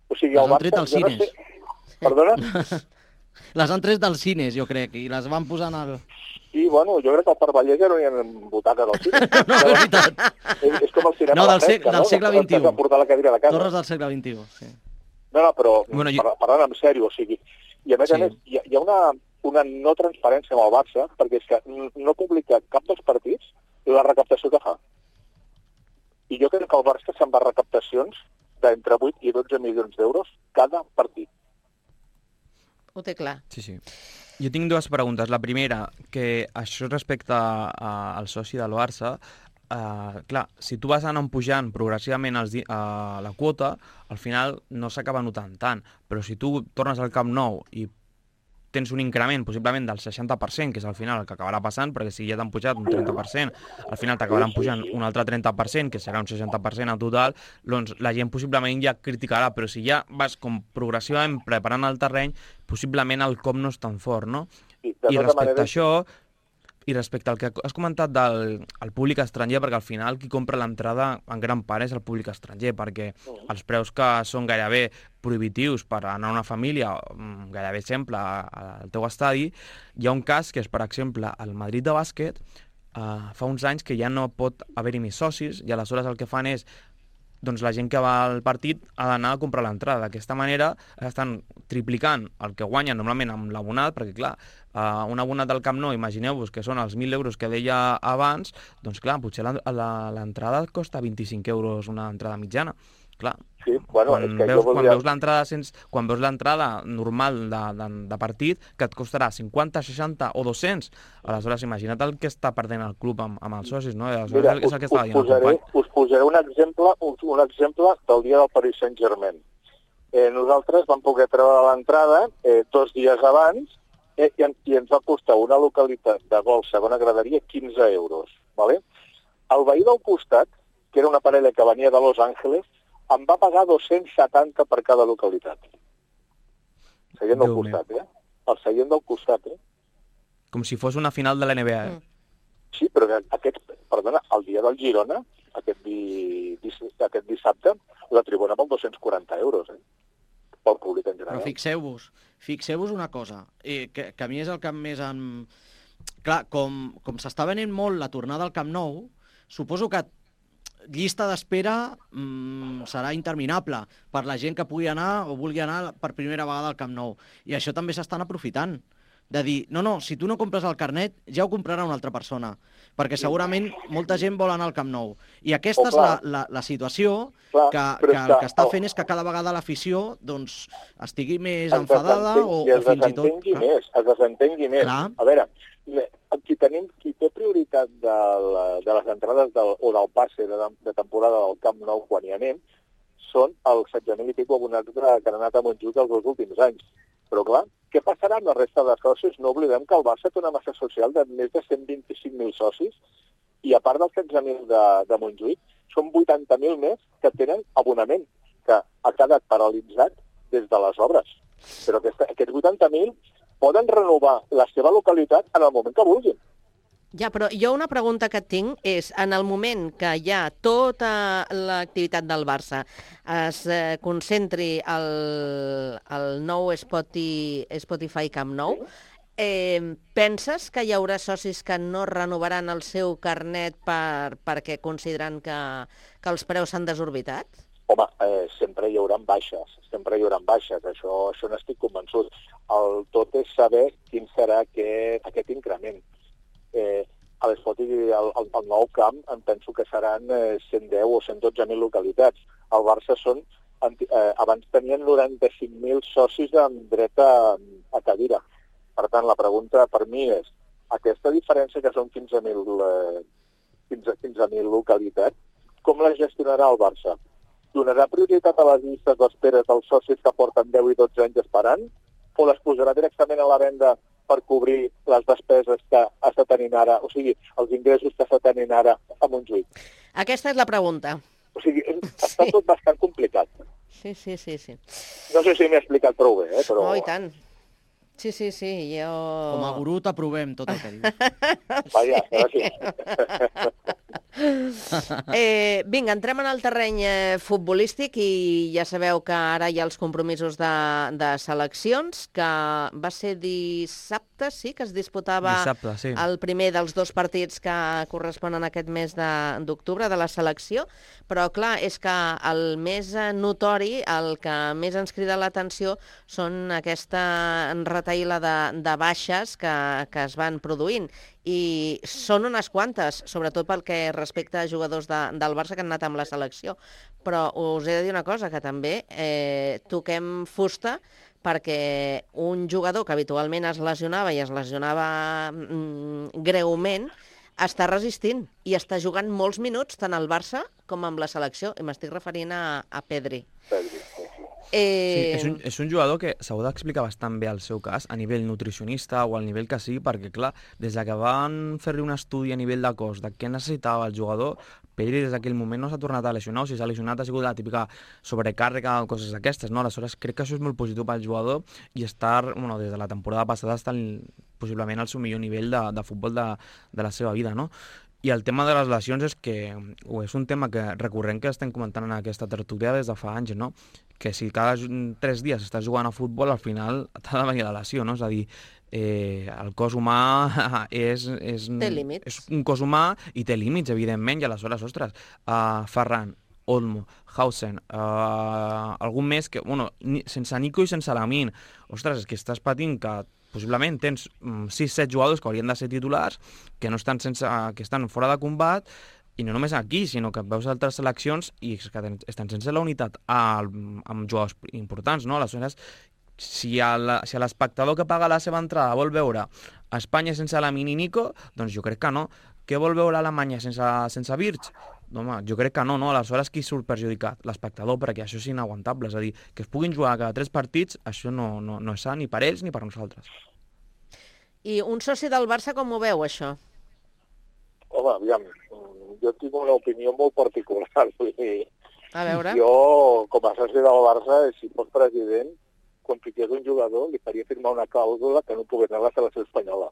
O sigui, Les el han Barça... tret als jo no cines. sé- Perdona? Les han tret dels cines, jo crec, i les van posar en el... Sí, bueno, jo crec que al Parc Vallès ja no hi ha butaques al cine. no, és veritat. És, és com el cinema No, a la del, sec, fresca, del no? segle Que vint-i-u. t'has de portar la cadira de casa. Torres del segle vint-i-u, sí. No, no, però Bueno, bueno, parlant en sèrio, o sigui... I a més Sí. a més, hi ha, hi ha una... una no transparència amb el Barça, perquè és que no publica cap dels partits la recaptació que fa. I jo crec que el Barça se'n va a recaptacions d'entre vuit i dotze milions d'euros cada partit. Ho té clar. Sí, sí. Jo tinc dues preguntes. La primera, que això respecte a, a, al soci del Barça, uh, clar, si tu vas anant pujant progressivament els, uh, la quota, al final no s'acaba notant tant. Però si tu tornes al Camp Nou i tens un increment possiblement del seixanta per cent, que és al final el que acabarà passant, perquè si ja t'han pujat un trenta per cent, al final t'acabaran pujant un altre trenta per cent, que serà un seixanta per cent en total, doncs la gent possiblement ja criticarà, però si ja vas com progressivament preparant el terreny, possiblement el cop no és tan fort, no? I, I respecte a això, i respecte al que has comentat del el públic estranger, perquè al final qui compra l'entrada en gran part és el públic estranger, perquè els preus que són gairebé prohibitius per anar a una família, gairebé sempre al teu estadi, hi ha un cas que és, per exemple, el Madrid de bàsquet, eh, fa uns anys que ja no pot haver-hi més socis, i aleshores el que fan és doncs la gent que va al partit ha d'anar a comprar l'entrada. D'aquesta manera estan triplicant el que guanyen normalment amb l'abonat, perquè clar, uh, un abonat del Camp Nou, imagineu-vos que són els mil euros que deia abans, doncs clar, potser l'entrada costa vint-i-cinc euros una entrada mitjana. Clar, sí, bueno, quan, és que veus, volia... quan veus l'entrada sense, quan veus l'entrada normal de, de, de partit, que et costarà cinquanta, seixanta o dos-cents, aleshores imagina't el que està perdent el club amb, amb els socis, no? Mira, us, us, posaré, us posaré un exemple, un, un exemple del dia del Paris Saint-Germain. Eh, nosaltres vam poder treure l'entrada eh, dos dies abans eh, i, i ens va costar una localitat de gol segona graderia quinze euros. ¿Vale? El veí del costat, que era una parella que venia de Los Angeles, em va pagar dos-cents setanta per cada localitat. Seient del costat, eh? El seient del costat, eh? Com si fos una final de l'N B A, eh? Sí, però aquest, perdona, el dia del Girona, aquest, di, aquest dissabte, la tribuna amb dos-cents quaranta euros, eh? Pel públic en general. Però fixeu-vos, fixeu-vos una cosa, eh, que, que a mi és el que més em... Clar, com, com s'està venent molt la tornada al Camp Nou, suposo que llista d'espera mmm, serà interminable per la gent que pugui anar o vulgui anar per primera vegada al Camp Nou. I això també s'estan aprofitant. De dir, no, no, si tu no compres el carnet, ja ho comprarà una altra persona. Perquè segurament molta gent vol anar al Camp Nou. I aquesta oh, és la, la, la situació clar, que, que el que està fent és que cada vegada l'afició doncs, estigui més enfadada o, o fins i tot... I es desentengui més, es desentengui més. Clar. A veure, qui, tenim, qui té prioritat de, la, de les entrades del, o del passe de, de temporada del Camp Nou quan hi anem són els setze mil i pico abonats que han anat a Montjuïc els dos últims anys. Però clar, què passarà amb la resta de socis? No oblidem que el Barça té una massa social de més de cent vint-i-cinc mil socis i a part dels setze mil de, de Montjuïc són vuitanta mil més que tenen abonament, que ha quedat paralitzat des de les obres. Però aquesta, aquests vuitanta mil poden renovar la seva localitat en el moment que vulguin. Ja, però jo una pregunta que tinc és, en el moment que hi ha tota l'activitat del Barça es eh, concentri el, el nou Spotify, Spotify Camp Nou, eh, penses que hi haurà socis que no renovaran el seu carnet per, perquè consideren que, que els preus s'han desorbitat? Home, eh, sempre hi haurà baixes, sempre hi haurà baixes, això, això n'estic convençut. El tot és saber quin serà aquest, aquest increment. Eh, a l'Spotify, el, el, el nou camp, em penso que seran eh, cent deu o cent dotze mil localitats. Al Barça són, eh, abans tenien noranta-cinc mil socis amb dret a, a cadira. Per tant, la pregunta per mi és, aquesta diferència que són quinze mil eh, quinze mil localitats, com la gestionarà el Barça? Donarà prioritat a les llistes d'espera dels socis que porten deu i dotze anys esperant? O les posarà directament a la venda per cobrir les despeses que està tenint ara, o sigui, els ingressos que està tenint ara a Montjuïc? Aquesta és la pregunta. O sigui, està sí. tot bastant complicat. Sí, sí, sí, sí. No sé si m'he explicat prou bé, eh? Però... Oh, i tant. Sí, sí, sí, jo... Com a gurú t'aprovem tot el que dius. Vaja, gràcies. Eh, vinga, entrem en el terreny eh, futbolístic i ja sabeu que ara hi ha els compromisos de, de seleccions, que va ser dissabte, sí, que es disputava Dissabte, sí. el primer dels dos partits que corresponen a aquest mes de- d'octubre de, de la selecció, però clar, és que el més eh, notori, el que més ens crida l'atenció són aquesta retaïla de, de baixes que, que es van produint. I són unes quantes, sobretot pel que respecta a jugadors de, del Barça que han anat amb la selecció. Però us he de dir una cosa, que també eh, toquem fusta, perquè un jugador que habitualment es lesionava i es lesionava mm, greument, està resistint i està jugant molts minuts tant al Barça com amb la selecció. I m'estic referint a, a Pedri. Sí, Eh... és, un, és un jugador que s'hau d'explicar bastant bé el seu cas, a nivell nutricionista o al nivell que sigui, perquè, clar, des que van fer-li un estudi a nivell de cos de què necessitava el jugador, Pedri des d'aquell moment no s'ha tornat a lesionar, o si s'ha lesionat ha sigut la típica sobrecàrrega o coses d'aquestes, no? Aleshores, crec que això és molt positiu pel jugador i estar, bueno, des de la temporada passada està el, possiblement al seu millor nivell de, de futbol de, de la seva vida, no? I el tema de les lesions és que o és un tema que recurrent que estem comentant en aquesta tertúlia des de fa anys, no? Que si cada tres dies estàs jugant a futbol, al final t'ha de venir la lesió, no? És a dir, eh, el cos humà és, és, Té límits. és un cos humà i té límits, evidentment, i aleshores, ostres, uh, Ferran, Olmo, Hausen, uh, algun més que, bueno, ni, sense Nico i sense Lamin, ostres, és que estàs patint que possiblement tens sis set jugadors que haurien de ser titulars, que no estan sense, que estan fora de combat, i no només aquí, sinó que veus altres seleccions i que estan sense la unitat amb jugadors importants, no? Aleshores, si l'espectador que paga la seva entrada vol veure a Espanya sense Lamin i Nico, doncs jo crec que no. Què vol veure Alemanya sense, sense Virts? Home, jo crec que no, no? Aleshores, qui surt perjudicat? L'espectador, perquè això és inaguantable. És a dir, que es puguin jugar cada tres partits, això no, no, no és sa ni per ells ni per nosaltres. I un soci del Barça com ho veu, això? Home, aviam, jo tinc una opinió molt particular. Vull dir, a veure. Jo, com a soci del Barça, si fos president, quan fiqués un jugador, li faria firmar una clàusula que no pogués anar a la selecció espanyola.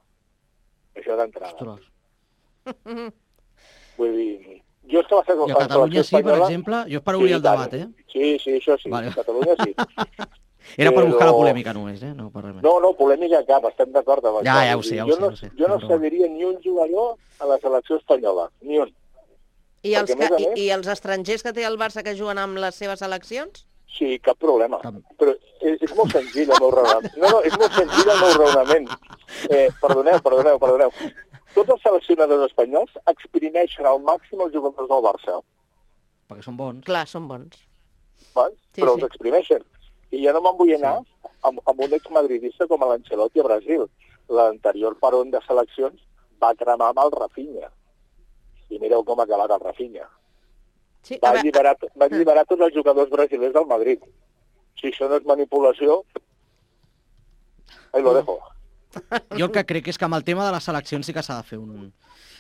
Això d'entrada. Vull dir, jo és que va ser... I a Catalunya sí, per exemple, jo és per obrir sí, el debat, eh? Sí, sí, això sí, vale. A Catalunya sí. Era per buscar la polèmica només, eh? No, per res més. No, no, polèmica cap, estem d'acord amb ja, això. Ja, ho sé, ja ho jo sé. No, ho sé. jo no cediria ni un jugador a la selecció espanyola, ni un. I els, que, més, i, I els estrangers que té el Barça que juguen amb les seves seleccions? Sí, cap problema. Cap. Però és, és molt senzill el meu raonament. No, no, és molt senzill el meu raonament. Eh, perdoneu, perdoneu, perdoneu. Tots els seleccionadors espanyols exprimeixen al màxim els jugadors del Barça. Perquè són bons. Clar, són bons. Val? Sí, però sí. Els exprimeixen. I ja no me'n vull anar sí. amb, amb un exmadridista com l'Ancelotti a Brasil. L'anterior peron de seleccions va cremar amb el Rafinha. I mireu com ha acabat el Rafinha. Sí, va, veure... alliberar, va alliberar tots els jugadors brasilers del Madrid. Si això no és manipulació, ahí lo dejo. Jo el que crec és que amb el tema de les seleccions sí que s'ha de fer un...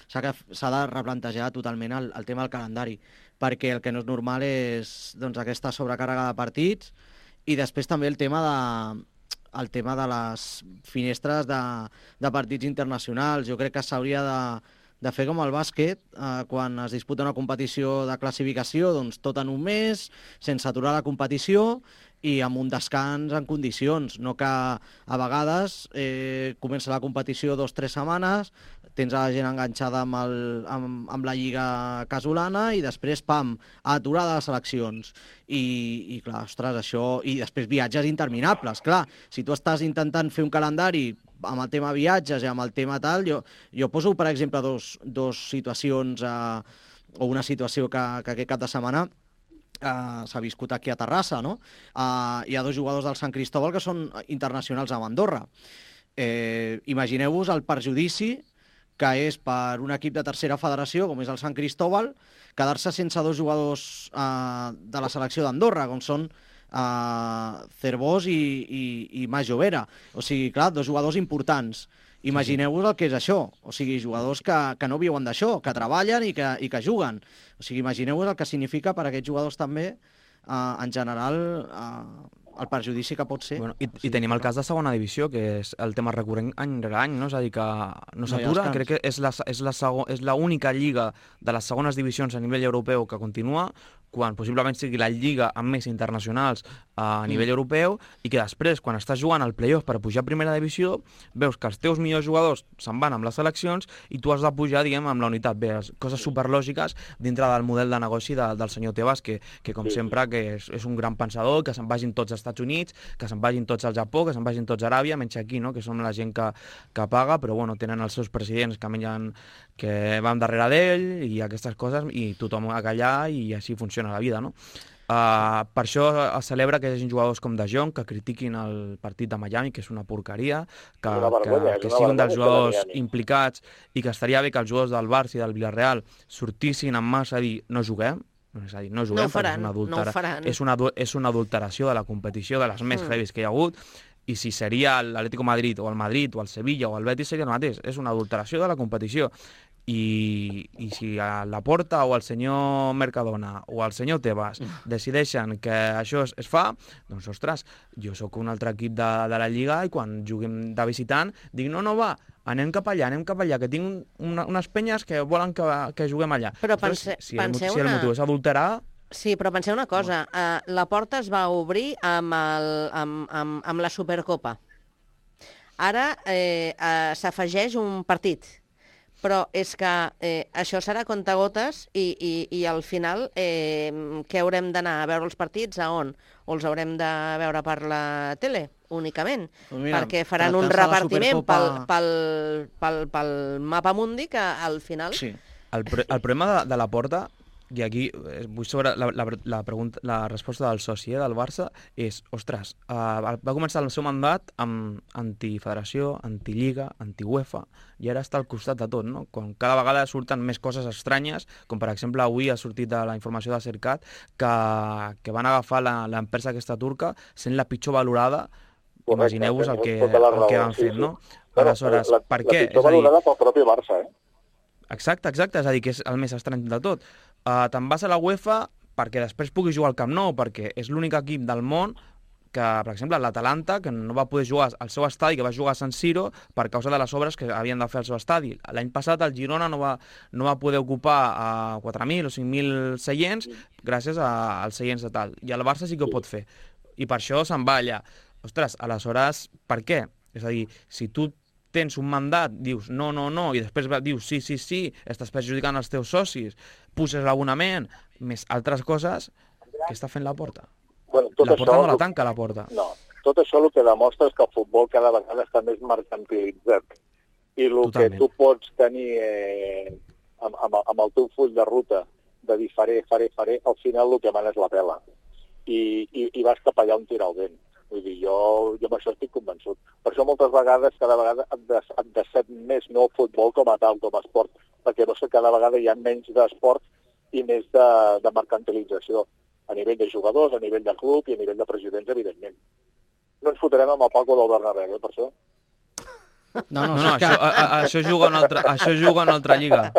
S'ha de replantejar totalment el, el tema del calendari, perquè el que no és normal és doncs, aquesta sobrecàrrega de partits i després també el tema de, el tema de les finestres de, de partits internacionals. Jo crec que s'hauria de, de fer com el bàsquet, eh, quan es disputa una competició de classificació, doncs tot en un mes, sense aturar la competició, i amb un descans en condicions, no que a vegades eh, comença la competició dos o tres setmanes, tens a la gent enganxada amb, el, amb, amb la lliga casolana i després, pam, aturada les seleccions. I, i clar, ostres, això... I després viatges interminables, clar. Si tu estàs intentant fer un calendari amb el tema viatges i amb el tema tal, jo, jo poso, per exemple, dos, dos situacions, eh, o una situació que, que aquest cap de setmana Uh, s'ha viscut aquí a Terrassa, no? Uh, hi ha dos jugadors del Sant Cristóbal que són internacionals amb Andorra. Eh, Imagineu-vos el perjudici que és per un equip de tercera federació, com és el Sant Cristóbal, quedar-se sense dos jugadors uh, de la selecció d'Andorra, com són uh, Cervós i, i, i Mas Jovera. O sigui, clar, dos jugadors importants. Imagineu-vos el que és això, o sigui, jugadors que, que no viuen d'això, que treballen i que, i que juguen. O sigui, imagineu-vos el que significa per a aquests jugadors també, eh, en general, eh, el perjudici que pot ser... Bueno, i, I tenim el cas de segona divisió, que és el tema recurrent any rere any, no? És a dir, que no s'atura. Crec que és la, és la segon, és l'única lliga de les segones divisions a nivell europeu que continua, quan possiblement sigui la lliga amb més internacionals a nivell mm. europeu, i que després, quan estàs jugant al play-off per pujar a primera divisió, veus que els teus millors jugadors se'n van amb les seleccions i tu has de pujar, diguem, amb la unitat. Bé, coses superlògiques dintre del model de negoci de, del senyor Tebas, que, que com sí. sempre, que és, és un gran pensador, que se'n vagin tots als Estats Units, que se'n vagin tots al Japó, que se'n vagin tots a Aràbia, menys aquí, no?, que som la gent que, que paga, però bueno, tenen els seus presidents que mengen, que van darrere d'ell i aquestes coses, i tothom a callar, i així funciona la vida, no? Uh, per això es celebra que hi hagi jugadors com De Jong que critiquin el partit de Miami, que és una porqueria, que, vergonya, que, que sigui un dels jugadors implicats, i que estaria bé que els jugadors del Barça i del Villarreal sortissin en massa a dir no juguem, és a dir, no juguem, no faran, és, una adultera... no és, una, és una adulteració de la competició, de les més mm. heavies que hi ha hagut, i si seria l'Atlético Madrid o el Madrid o el Sevilla o el Betis seria el mateix, és una adulteració de la competició. I, i si a la Porta o el senyor Mercadona o el senyor Tebas decideixen que això es, es fa, doncs, ostres, jo sóc un altre equip de, de la Lliga i quan juguem de visitant dic, no, no, va, anem cap allà, anem cap allà, que tinc una, unes penyes que volen que, que juguem allà. Però pense, ostres, si, penseu el, si el motiu és adulterar... Sí, però penseu una cosa, uh, la Porta es va obrir amb, el, amb, amb, amb la Supercopa. Ara eh, uh, s'afegeix un partit, però és que eh, això serà contagotes i, i, i al final eh, què haurem d'anar a veure els partits? A on? O els haurem de veure per la tele, únicament? Pues mira, perquè faran un repartiment pel, pel, pel, pel mapa mundi que al final... Sí. El, el problema de, de la Porta, i aquí vull sobre la, la, la, pregunta, la resposta del soci eh, del Barça, és, ostres, uh, va començar el seu mandat amb antifederació, antilliga, anti-UEFA, i ara està al costat de tot, no? Quan cada vegada surten més coses estranyes, com per exemple avui ha sortit de la informació de Cercat que, que van agafar l'empresa aquesta turca sent la pitjor valorada. Imagineu-vos el que, el que van fent, no? Aleshores, per què? La pitjor valorada pel propi Barça, eh? Exacte, exacte, és a dir, que és el més estrany de tot. Uh, Te'n vas a la UEFA perquè després puguis jugar al Camp Nou, perquè és l'únic equip del món que, per exemple, l'Atalanta, que no va poder jugar al seu estadi, que va jugar a San Siro per causa de les obres que havien de fer al seu estadi. L'any passat el Girona no va, no va poder ocupar a quatre mil o cinc mil seients gràcies a, als seients de tal. I el Barça sí que ho pot fer. I per això se'n va allà. Ostres, aleshores, per què? És a dir, si tu tens un mandat, dius no, no, no, i després dius sí, sí, sí, estàs perjudicant els teus socis, puses l'abonament, més altres coses, què està fent la Porta? Bueno, la Porta això, no la tanca, la Porta. No, tot això el que demostra és que el futbol cada vegada està més mercantilitzat. I el Totalment. que tu pots tenir eh, amb, amb, amb el teu full de ruta de dir faré, faré, faré, al final el que mana és la pela. I, i, i vas cap allà on tira el vent. Vull dir, jo, jo amb això estic convençut. Per això moltes vegades, cada vegada, han de ser més no el futbol com a tal, com a esport, perquè no sé, cada vegada hi ha menys d'esport i més de, de mercantilització, a nivell de jugadors, a nivell de club i a nivell de presidents, evidentment. No ens fotrem amb el Paco del Bernabéu, eh, per això. No, no, no, no això, a, a, això, juga una altra, això juga una altra lliga.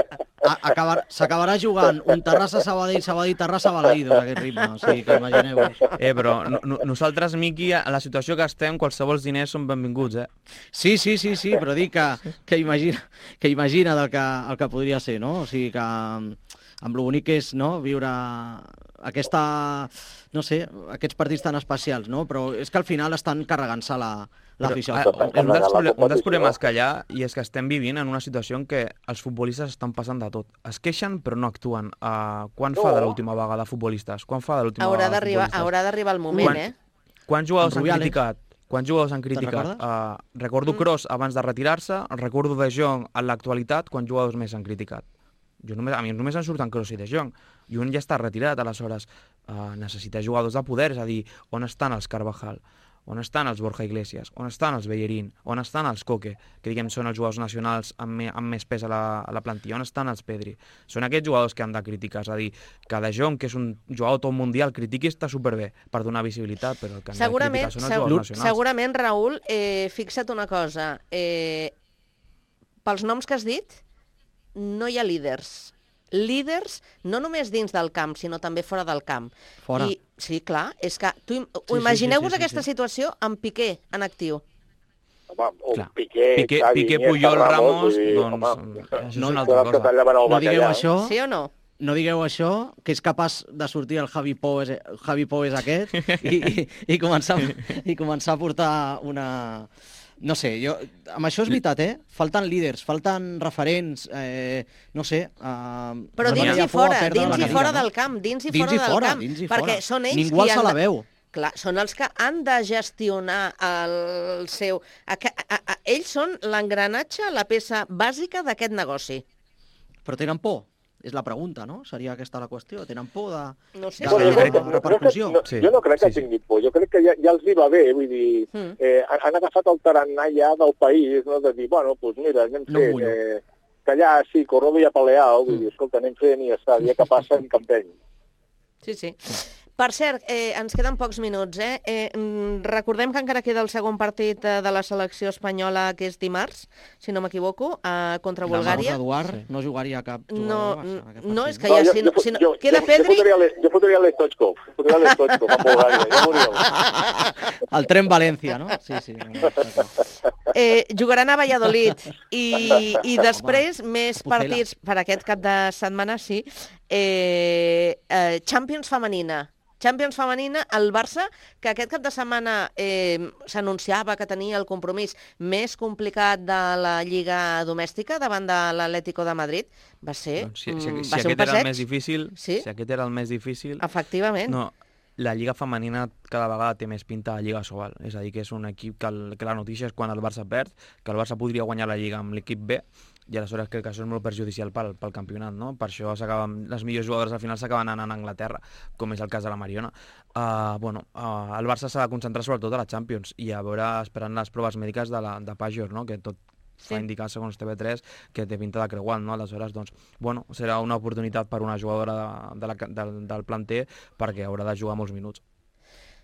S'acabarà jugant un Terrassa-Sabadell, Sabadell-Terrassa-Balaïdos, aquest ritme, o sigui que imagineu-vos. Eh, però no, no, nosaltres, Miqui, a la situació que estem, qualsevol diners són benvinguts, eh? Sí, sí, sí, sí, però dic que, que imagina, que imagina del que, el que podria ser, no? O sigui que amb lo bonic que és, no?, viure aquesta, no sé, aquests partits tan especials, no? Però és que al final estan carregant-se la... l'afició. Un dels, un dels problemes que hi ha, i és que estem vivint en una situació en què els futbolistes estan passant de tot. Es queixen però no actuen. Uh, quan no. fa de l'última vegada futbolistes? Quan fa de l'última haurà vegada futbolistes? Haurà d'arribar el moment, quan, eh? Quants jugadors han criticat? Quants jugadors han criticat? Uh, recordo mm. Kroos abans de retirar-se, recordo De Jong en l'actualitat, quants jugadors més han criticat? Jo només, a mi només en surten Kroos i De Jong. I un ja està retirat, aleshores uh, necessita jugadors de poder, és a dir, on estan els Carvajal? On estan els Borja Iglesias? On estan els Bellerín? On estan els Coque? Que diguem són els jugadors nacionals amb, me, amb més pes a la, a la plantilla. On estan els Pedri? Són aquests jugadors que han de criticar. És a dir, que De Jong, que és un jugador tot mundial, critiqui està superbé per donar visibilitat, però el que han de criticar són els jugadors nacionals. Segurament, Raül, eh, fixa't una cosa. Eh, pels noms que has dit, no hi ha líders. líders no només dins del camp, sinó també fora del camp. Fora. I, sí, clar, és que tu, sí, imagineu-vos sí, sí, aquesta sí. situació amb Piqué en actiu. Home, o Clar. Piqué, Piqué, Xavi, Piqué, Iniesta, Puyol, Ramos, vull dir, doncs, home, això és no, una altra que cosa. tallaven el No digueu bacallà. això, Sí o no? no digueu això, que és capaç de sortir el Javi Poes, Javi Poes aquest i, i, i, començar, i començar a portar una... No sé, jo, amb això és veritat, eh? Falten líders, falten referents, eh, no sé... Eh, Però dins i fora, dins i fora del camp, dins i Dins fora i del fora, camp, dins i perquè fora. són ells Ningú qui alça han la de- veu. Clar, són els que han de gestionar el seu... A, a, a, ells són l'engranatge, la peça bàsica d'aquest negoci. Però tenen por? És la pregunta, no? Seria aquesta la qüestió. Tenen por de, No sé, de sí, la jo crec que- repercussió? No, jo no crec que tingui por, jo crec que ja, ja els hi va bé, vull dir, Mm. eh, han han agafat el tarannà ja del país, no? De dir, bueno, doncs mira, anem No fent, mullo. eh, que allà sí, corrodo i apaleado, vull dir, escolta, anem fent i ja està, ja que passa en campeny. Sí, sí. Per cert, eh, ens queden pocs minuts, eh? eh? mm, Recordem que encara queda el segon partit eh, de la selecció espanyola, que és dimarts, si no m'equivoco, eh, contra Bulgària. Eduard sí. no jugaria cap jugador No, del Barça, en aquest no, partit, és que ja, jo, si no, jo, si no jo, queda jo, Pedri... Jo fotria l'E- jo fotria l'Stoichkov, fotria l'Stoichkov a Bulgària, ja veuríeu. El tren València, no? Sí, sí. Eh, jugaran a Valladolid i, i després més Pucela. partits per aquest cap de setmana, sí. Eh, eh, Champions femenina. Champions femenina, el Barça, que aquest cap de setmana eh, s'anunciava que tenia el compromís més complicat de la Lliga domèstica davant de l'Atlético de Madrid, va ser, Doncs si, si, mm, si va ser un aquest era passeig. el més difícil, Sí? si aquest era el més difícil... Efectivament. No, la Lliga femenina cada vegada té més pinta de Lliga Sobal. És a dir, que és un equip que, el, que la notícia és quan el Barça perd, que el Barça podria guanyar la Lliga amb l'equip B, i aleshores crec que això és molt perjudicial pel, pel campionat, no? Per això s'acaben, les millors jugadores al final s'acaben anant a Anglaterra, com és el cas de la Mariona. Uh, bueno, uh, el Barça s'ha de concentrar sobretot a la Champions i a veure, esperant les proves mèdiques de, la, de Pajor, no? Que tot Sí. fa indicar, segons T V tres, que té pinta de creuant, no? Aleshores, doncs, bueno, serà una oportunitat per una jugadora de, de la, del, del planter perquè haurà de jugar molts minuts.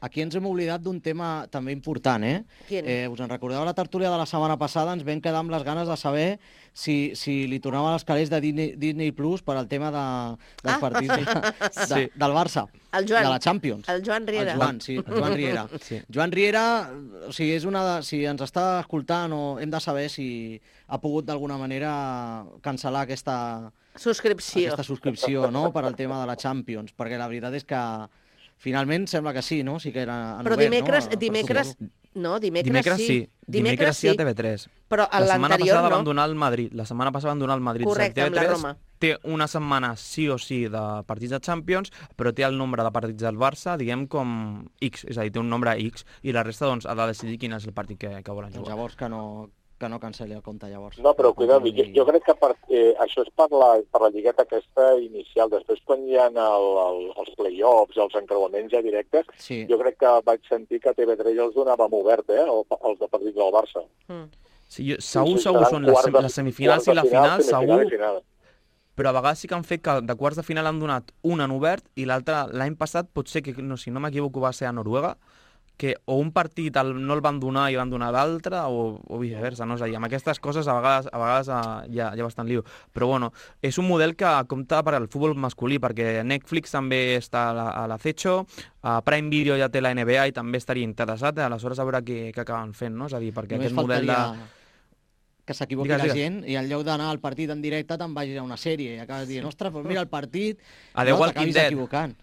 Aquí ens hem oblidat d'un tema també important, eh? Quin? eh? Us en recordeu la tertúlia de la setmana passada? Ens vam quedar amb les ganes de saber si, si li tornaven els calés de Disney, Disney Plus per al tema de, dels Ah. partits de, de, Sí. del Barça, El Joan. de la Champions. El Joan Riera. El Joan, sí, el Joan Riera. Sí. Joan Riera, o sigui, és una de, si ens està escoltant o hem de saber si ha pogut d'alguna manera cancel·lar aquesta, Subscripció. aquesta subscripció, no?, per al tema de la Champions, perquè la veritat és que finalment sembla que sí, no? Sí que era en Però obert, dimecres, no? Per dimecres, suposo. no, dimecres, Dimecres sí. Dimecres sí a T V tres. Però a La setmana l'anterior passada no. van donar el Madrid. La setmana passada van donar el Madrid. Correcte, T V tres amb la Roma. té una setmana sí o sí de partits de Champions, però té el nombre de partits del Barça, diguem, com X. És a dir, té un nombre X, i la resta doncs, ha de decidir quin és el partit que, que volen Doncs jugar. llavors que no, que no cancel·li el compte, llavors. No, però cuida, jo, jo crec que per, eh, això és per la, per la lligueta aquesta inicial. Després, quan hi ha el, el, els play-offs, els encreuaments ja directes, Sí. jo crec que vaig sentir que T V tres els donava amb obert, eh, el- els de partits del Barça. Mm. Sí, jo, segur, Sí, sí, segur, seran són les, quarts de- les semifinals quarts de i la final, final, semifinal segur, i final. però a vegades sí que han fet que de quarts de final han donat un en obert i l'altre l'any passat pot ser que, no, si no m'equivoco, va ser a Noruega, que o un partit el, no el van donar i van donar l'altre, o, o viceversa, no? És a dir, amb aquestes coses a vegades, a vegades uh, hi, ha, hi ha bastant lío. Però bueno, és un model que compta per al futbol masculí, perquè Netflix també està a la- a l'acecho, a Prime Video ja té la N B A i també estaria interessat, aleshores a veure què, què acaben fent, no? És a dir, perquè Només aquest model de... faltaria que s'equivoqui Digues, la digues. gent i en lloc d'anar al partit en directe te'n vagis a una sèrie i acabes dient, ostres, doncs mira el partit, A The no, Walking t'acabis Dead. equivocant.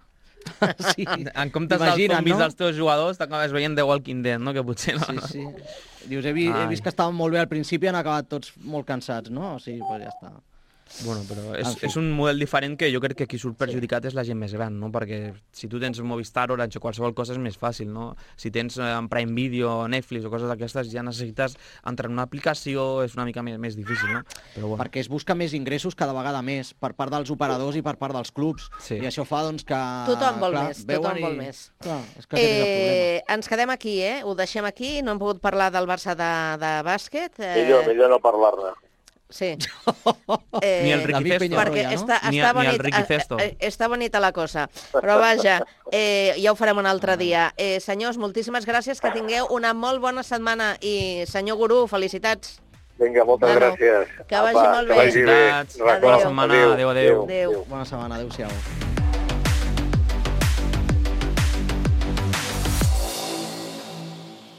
Sí. En comptes dels T'imagines, zombis no? dels teus jugadors, t'acabes veient The Walking Dead, no? Que potser no... Sí, no. sí. Dius, he, vi, he Ai. vist que estaven molt bé al principi i han acabat tots molt cansats, no? O sigui, doncs ja està. Bueno, però és, En fi. és un model diferent que jo crec que qui surt perjudicat és la gent més gran, no? Perquè si tu tens Movistar, Orange o qualsevol cosa és més fàcil, no? Si tens eh, en Prime Video, Netflix o coses d'aquestes, ja necessites entrar en una aplicació, és una mica més, més difícil, no? Però bueno. Perquè es busca més ingressos cada vegada més per part dels operadors i per part dels clubs. Sí. I això fa doncs, que... Tothom vol clar, més, veuen tothom i- vol més. Clar, és que aquest és el problema. Eh, ens quedem aquí, eh? Ho deixem aquí, no hem pogut parlar del Barça de, de bàsquet. Eh, Millor, millor no parlar-ne. Sí. Ni el David Riquifesto. Peñarroya, Perquè no? està, Ni, està, a- ni el bonit, Riquifesto. eh, eh, està bonita la cosa. Però vaja, eh, ja ho farem un altre dia. Eh, senyors, moltíssimes gràcies, que tingueu una molt bona setmana. I senyor Gurú, felicitats. Vinga, moltes Bueno, gràcies. que vagi Apa, molt que bé. vagi bé. Felicitats. Bona setmana. Adéu, adéu. Adéu. Bona setmana, adéu-siau.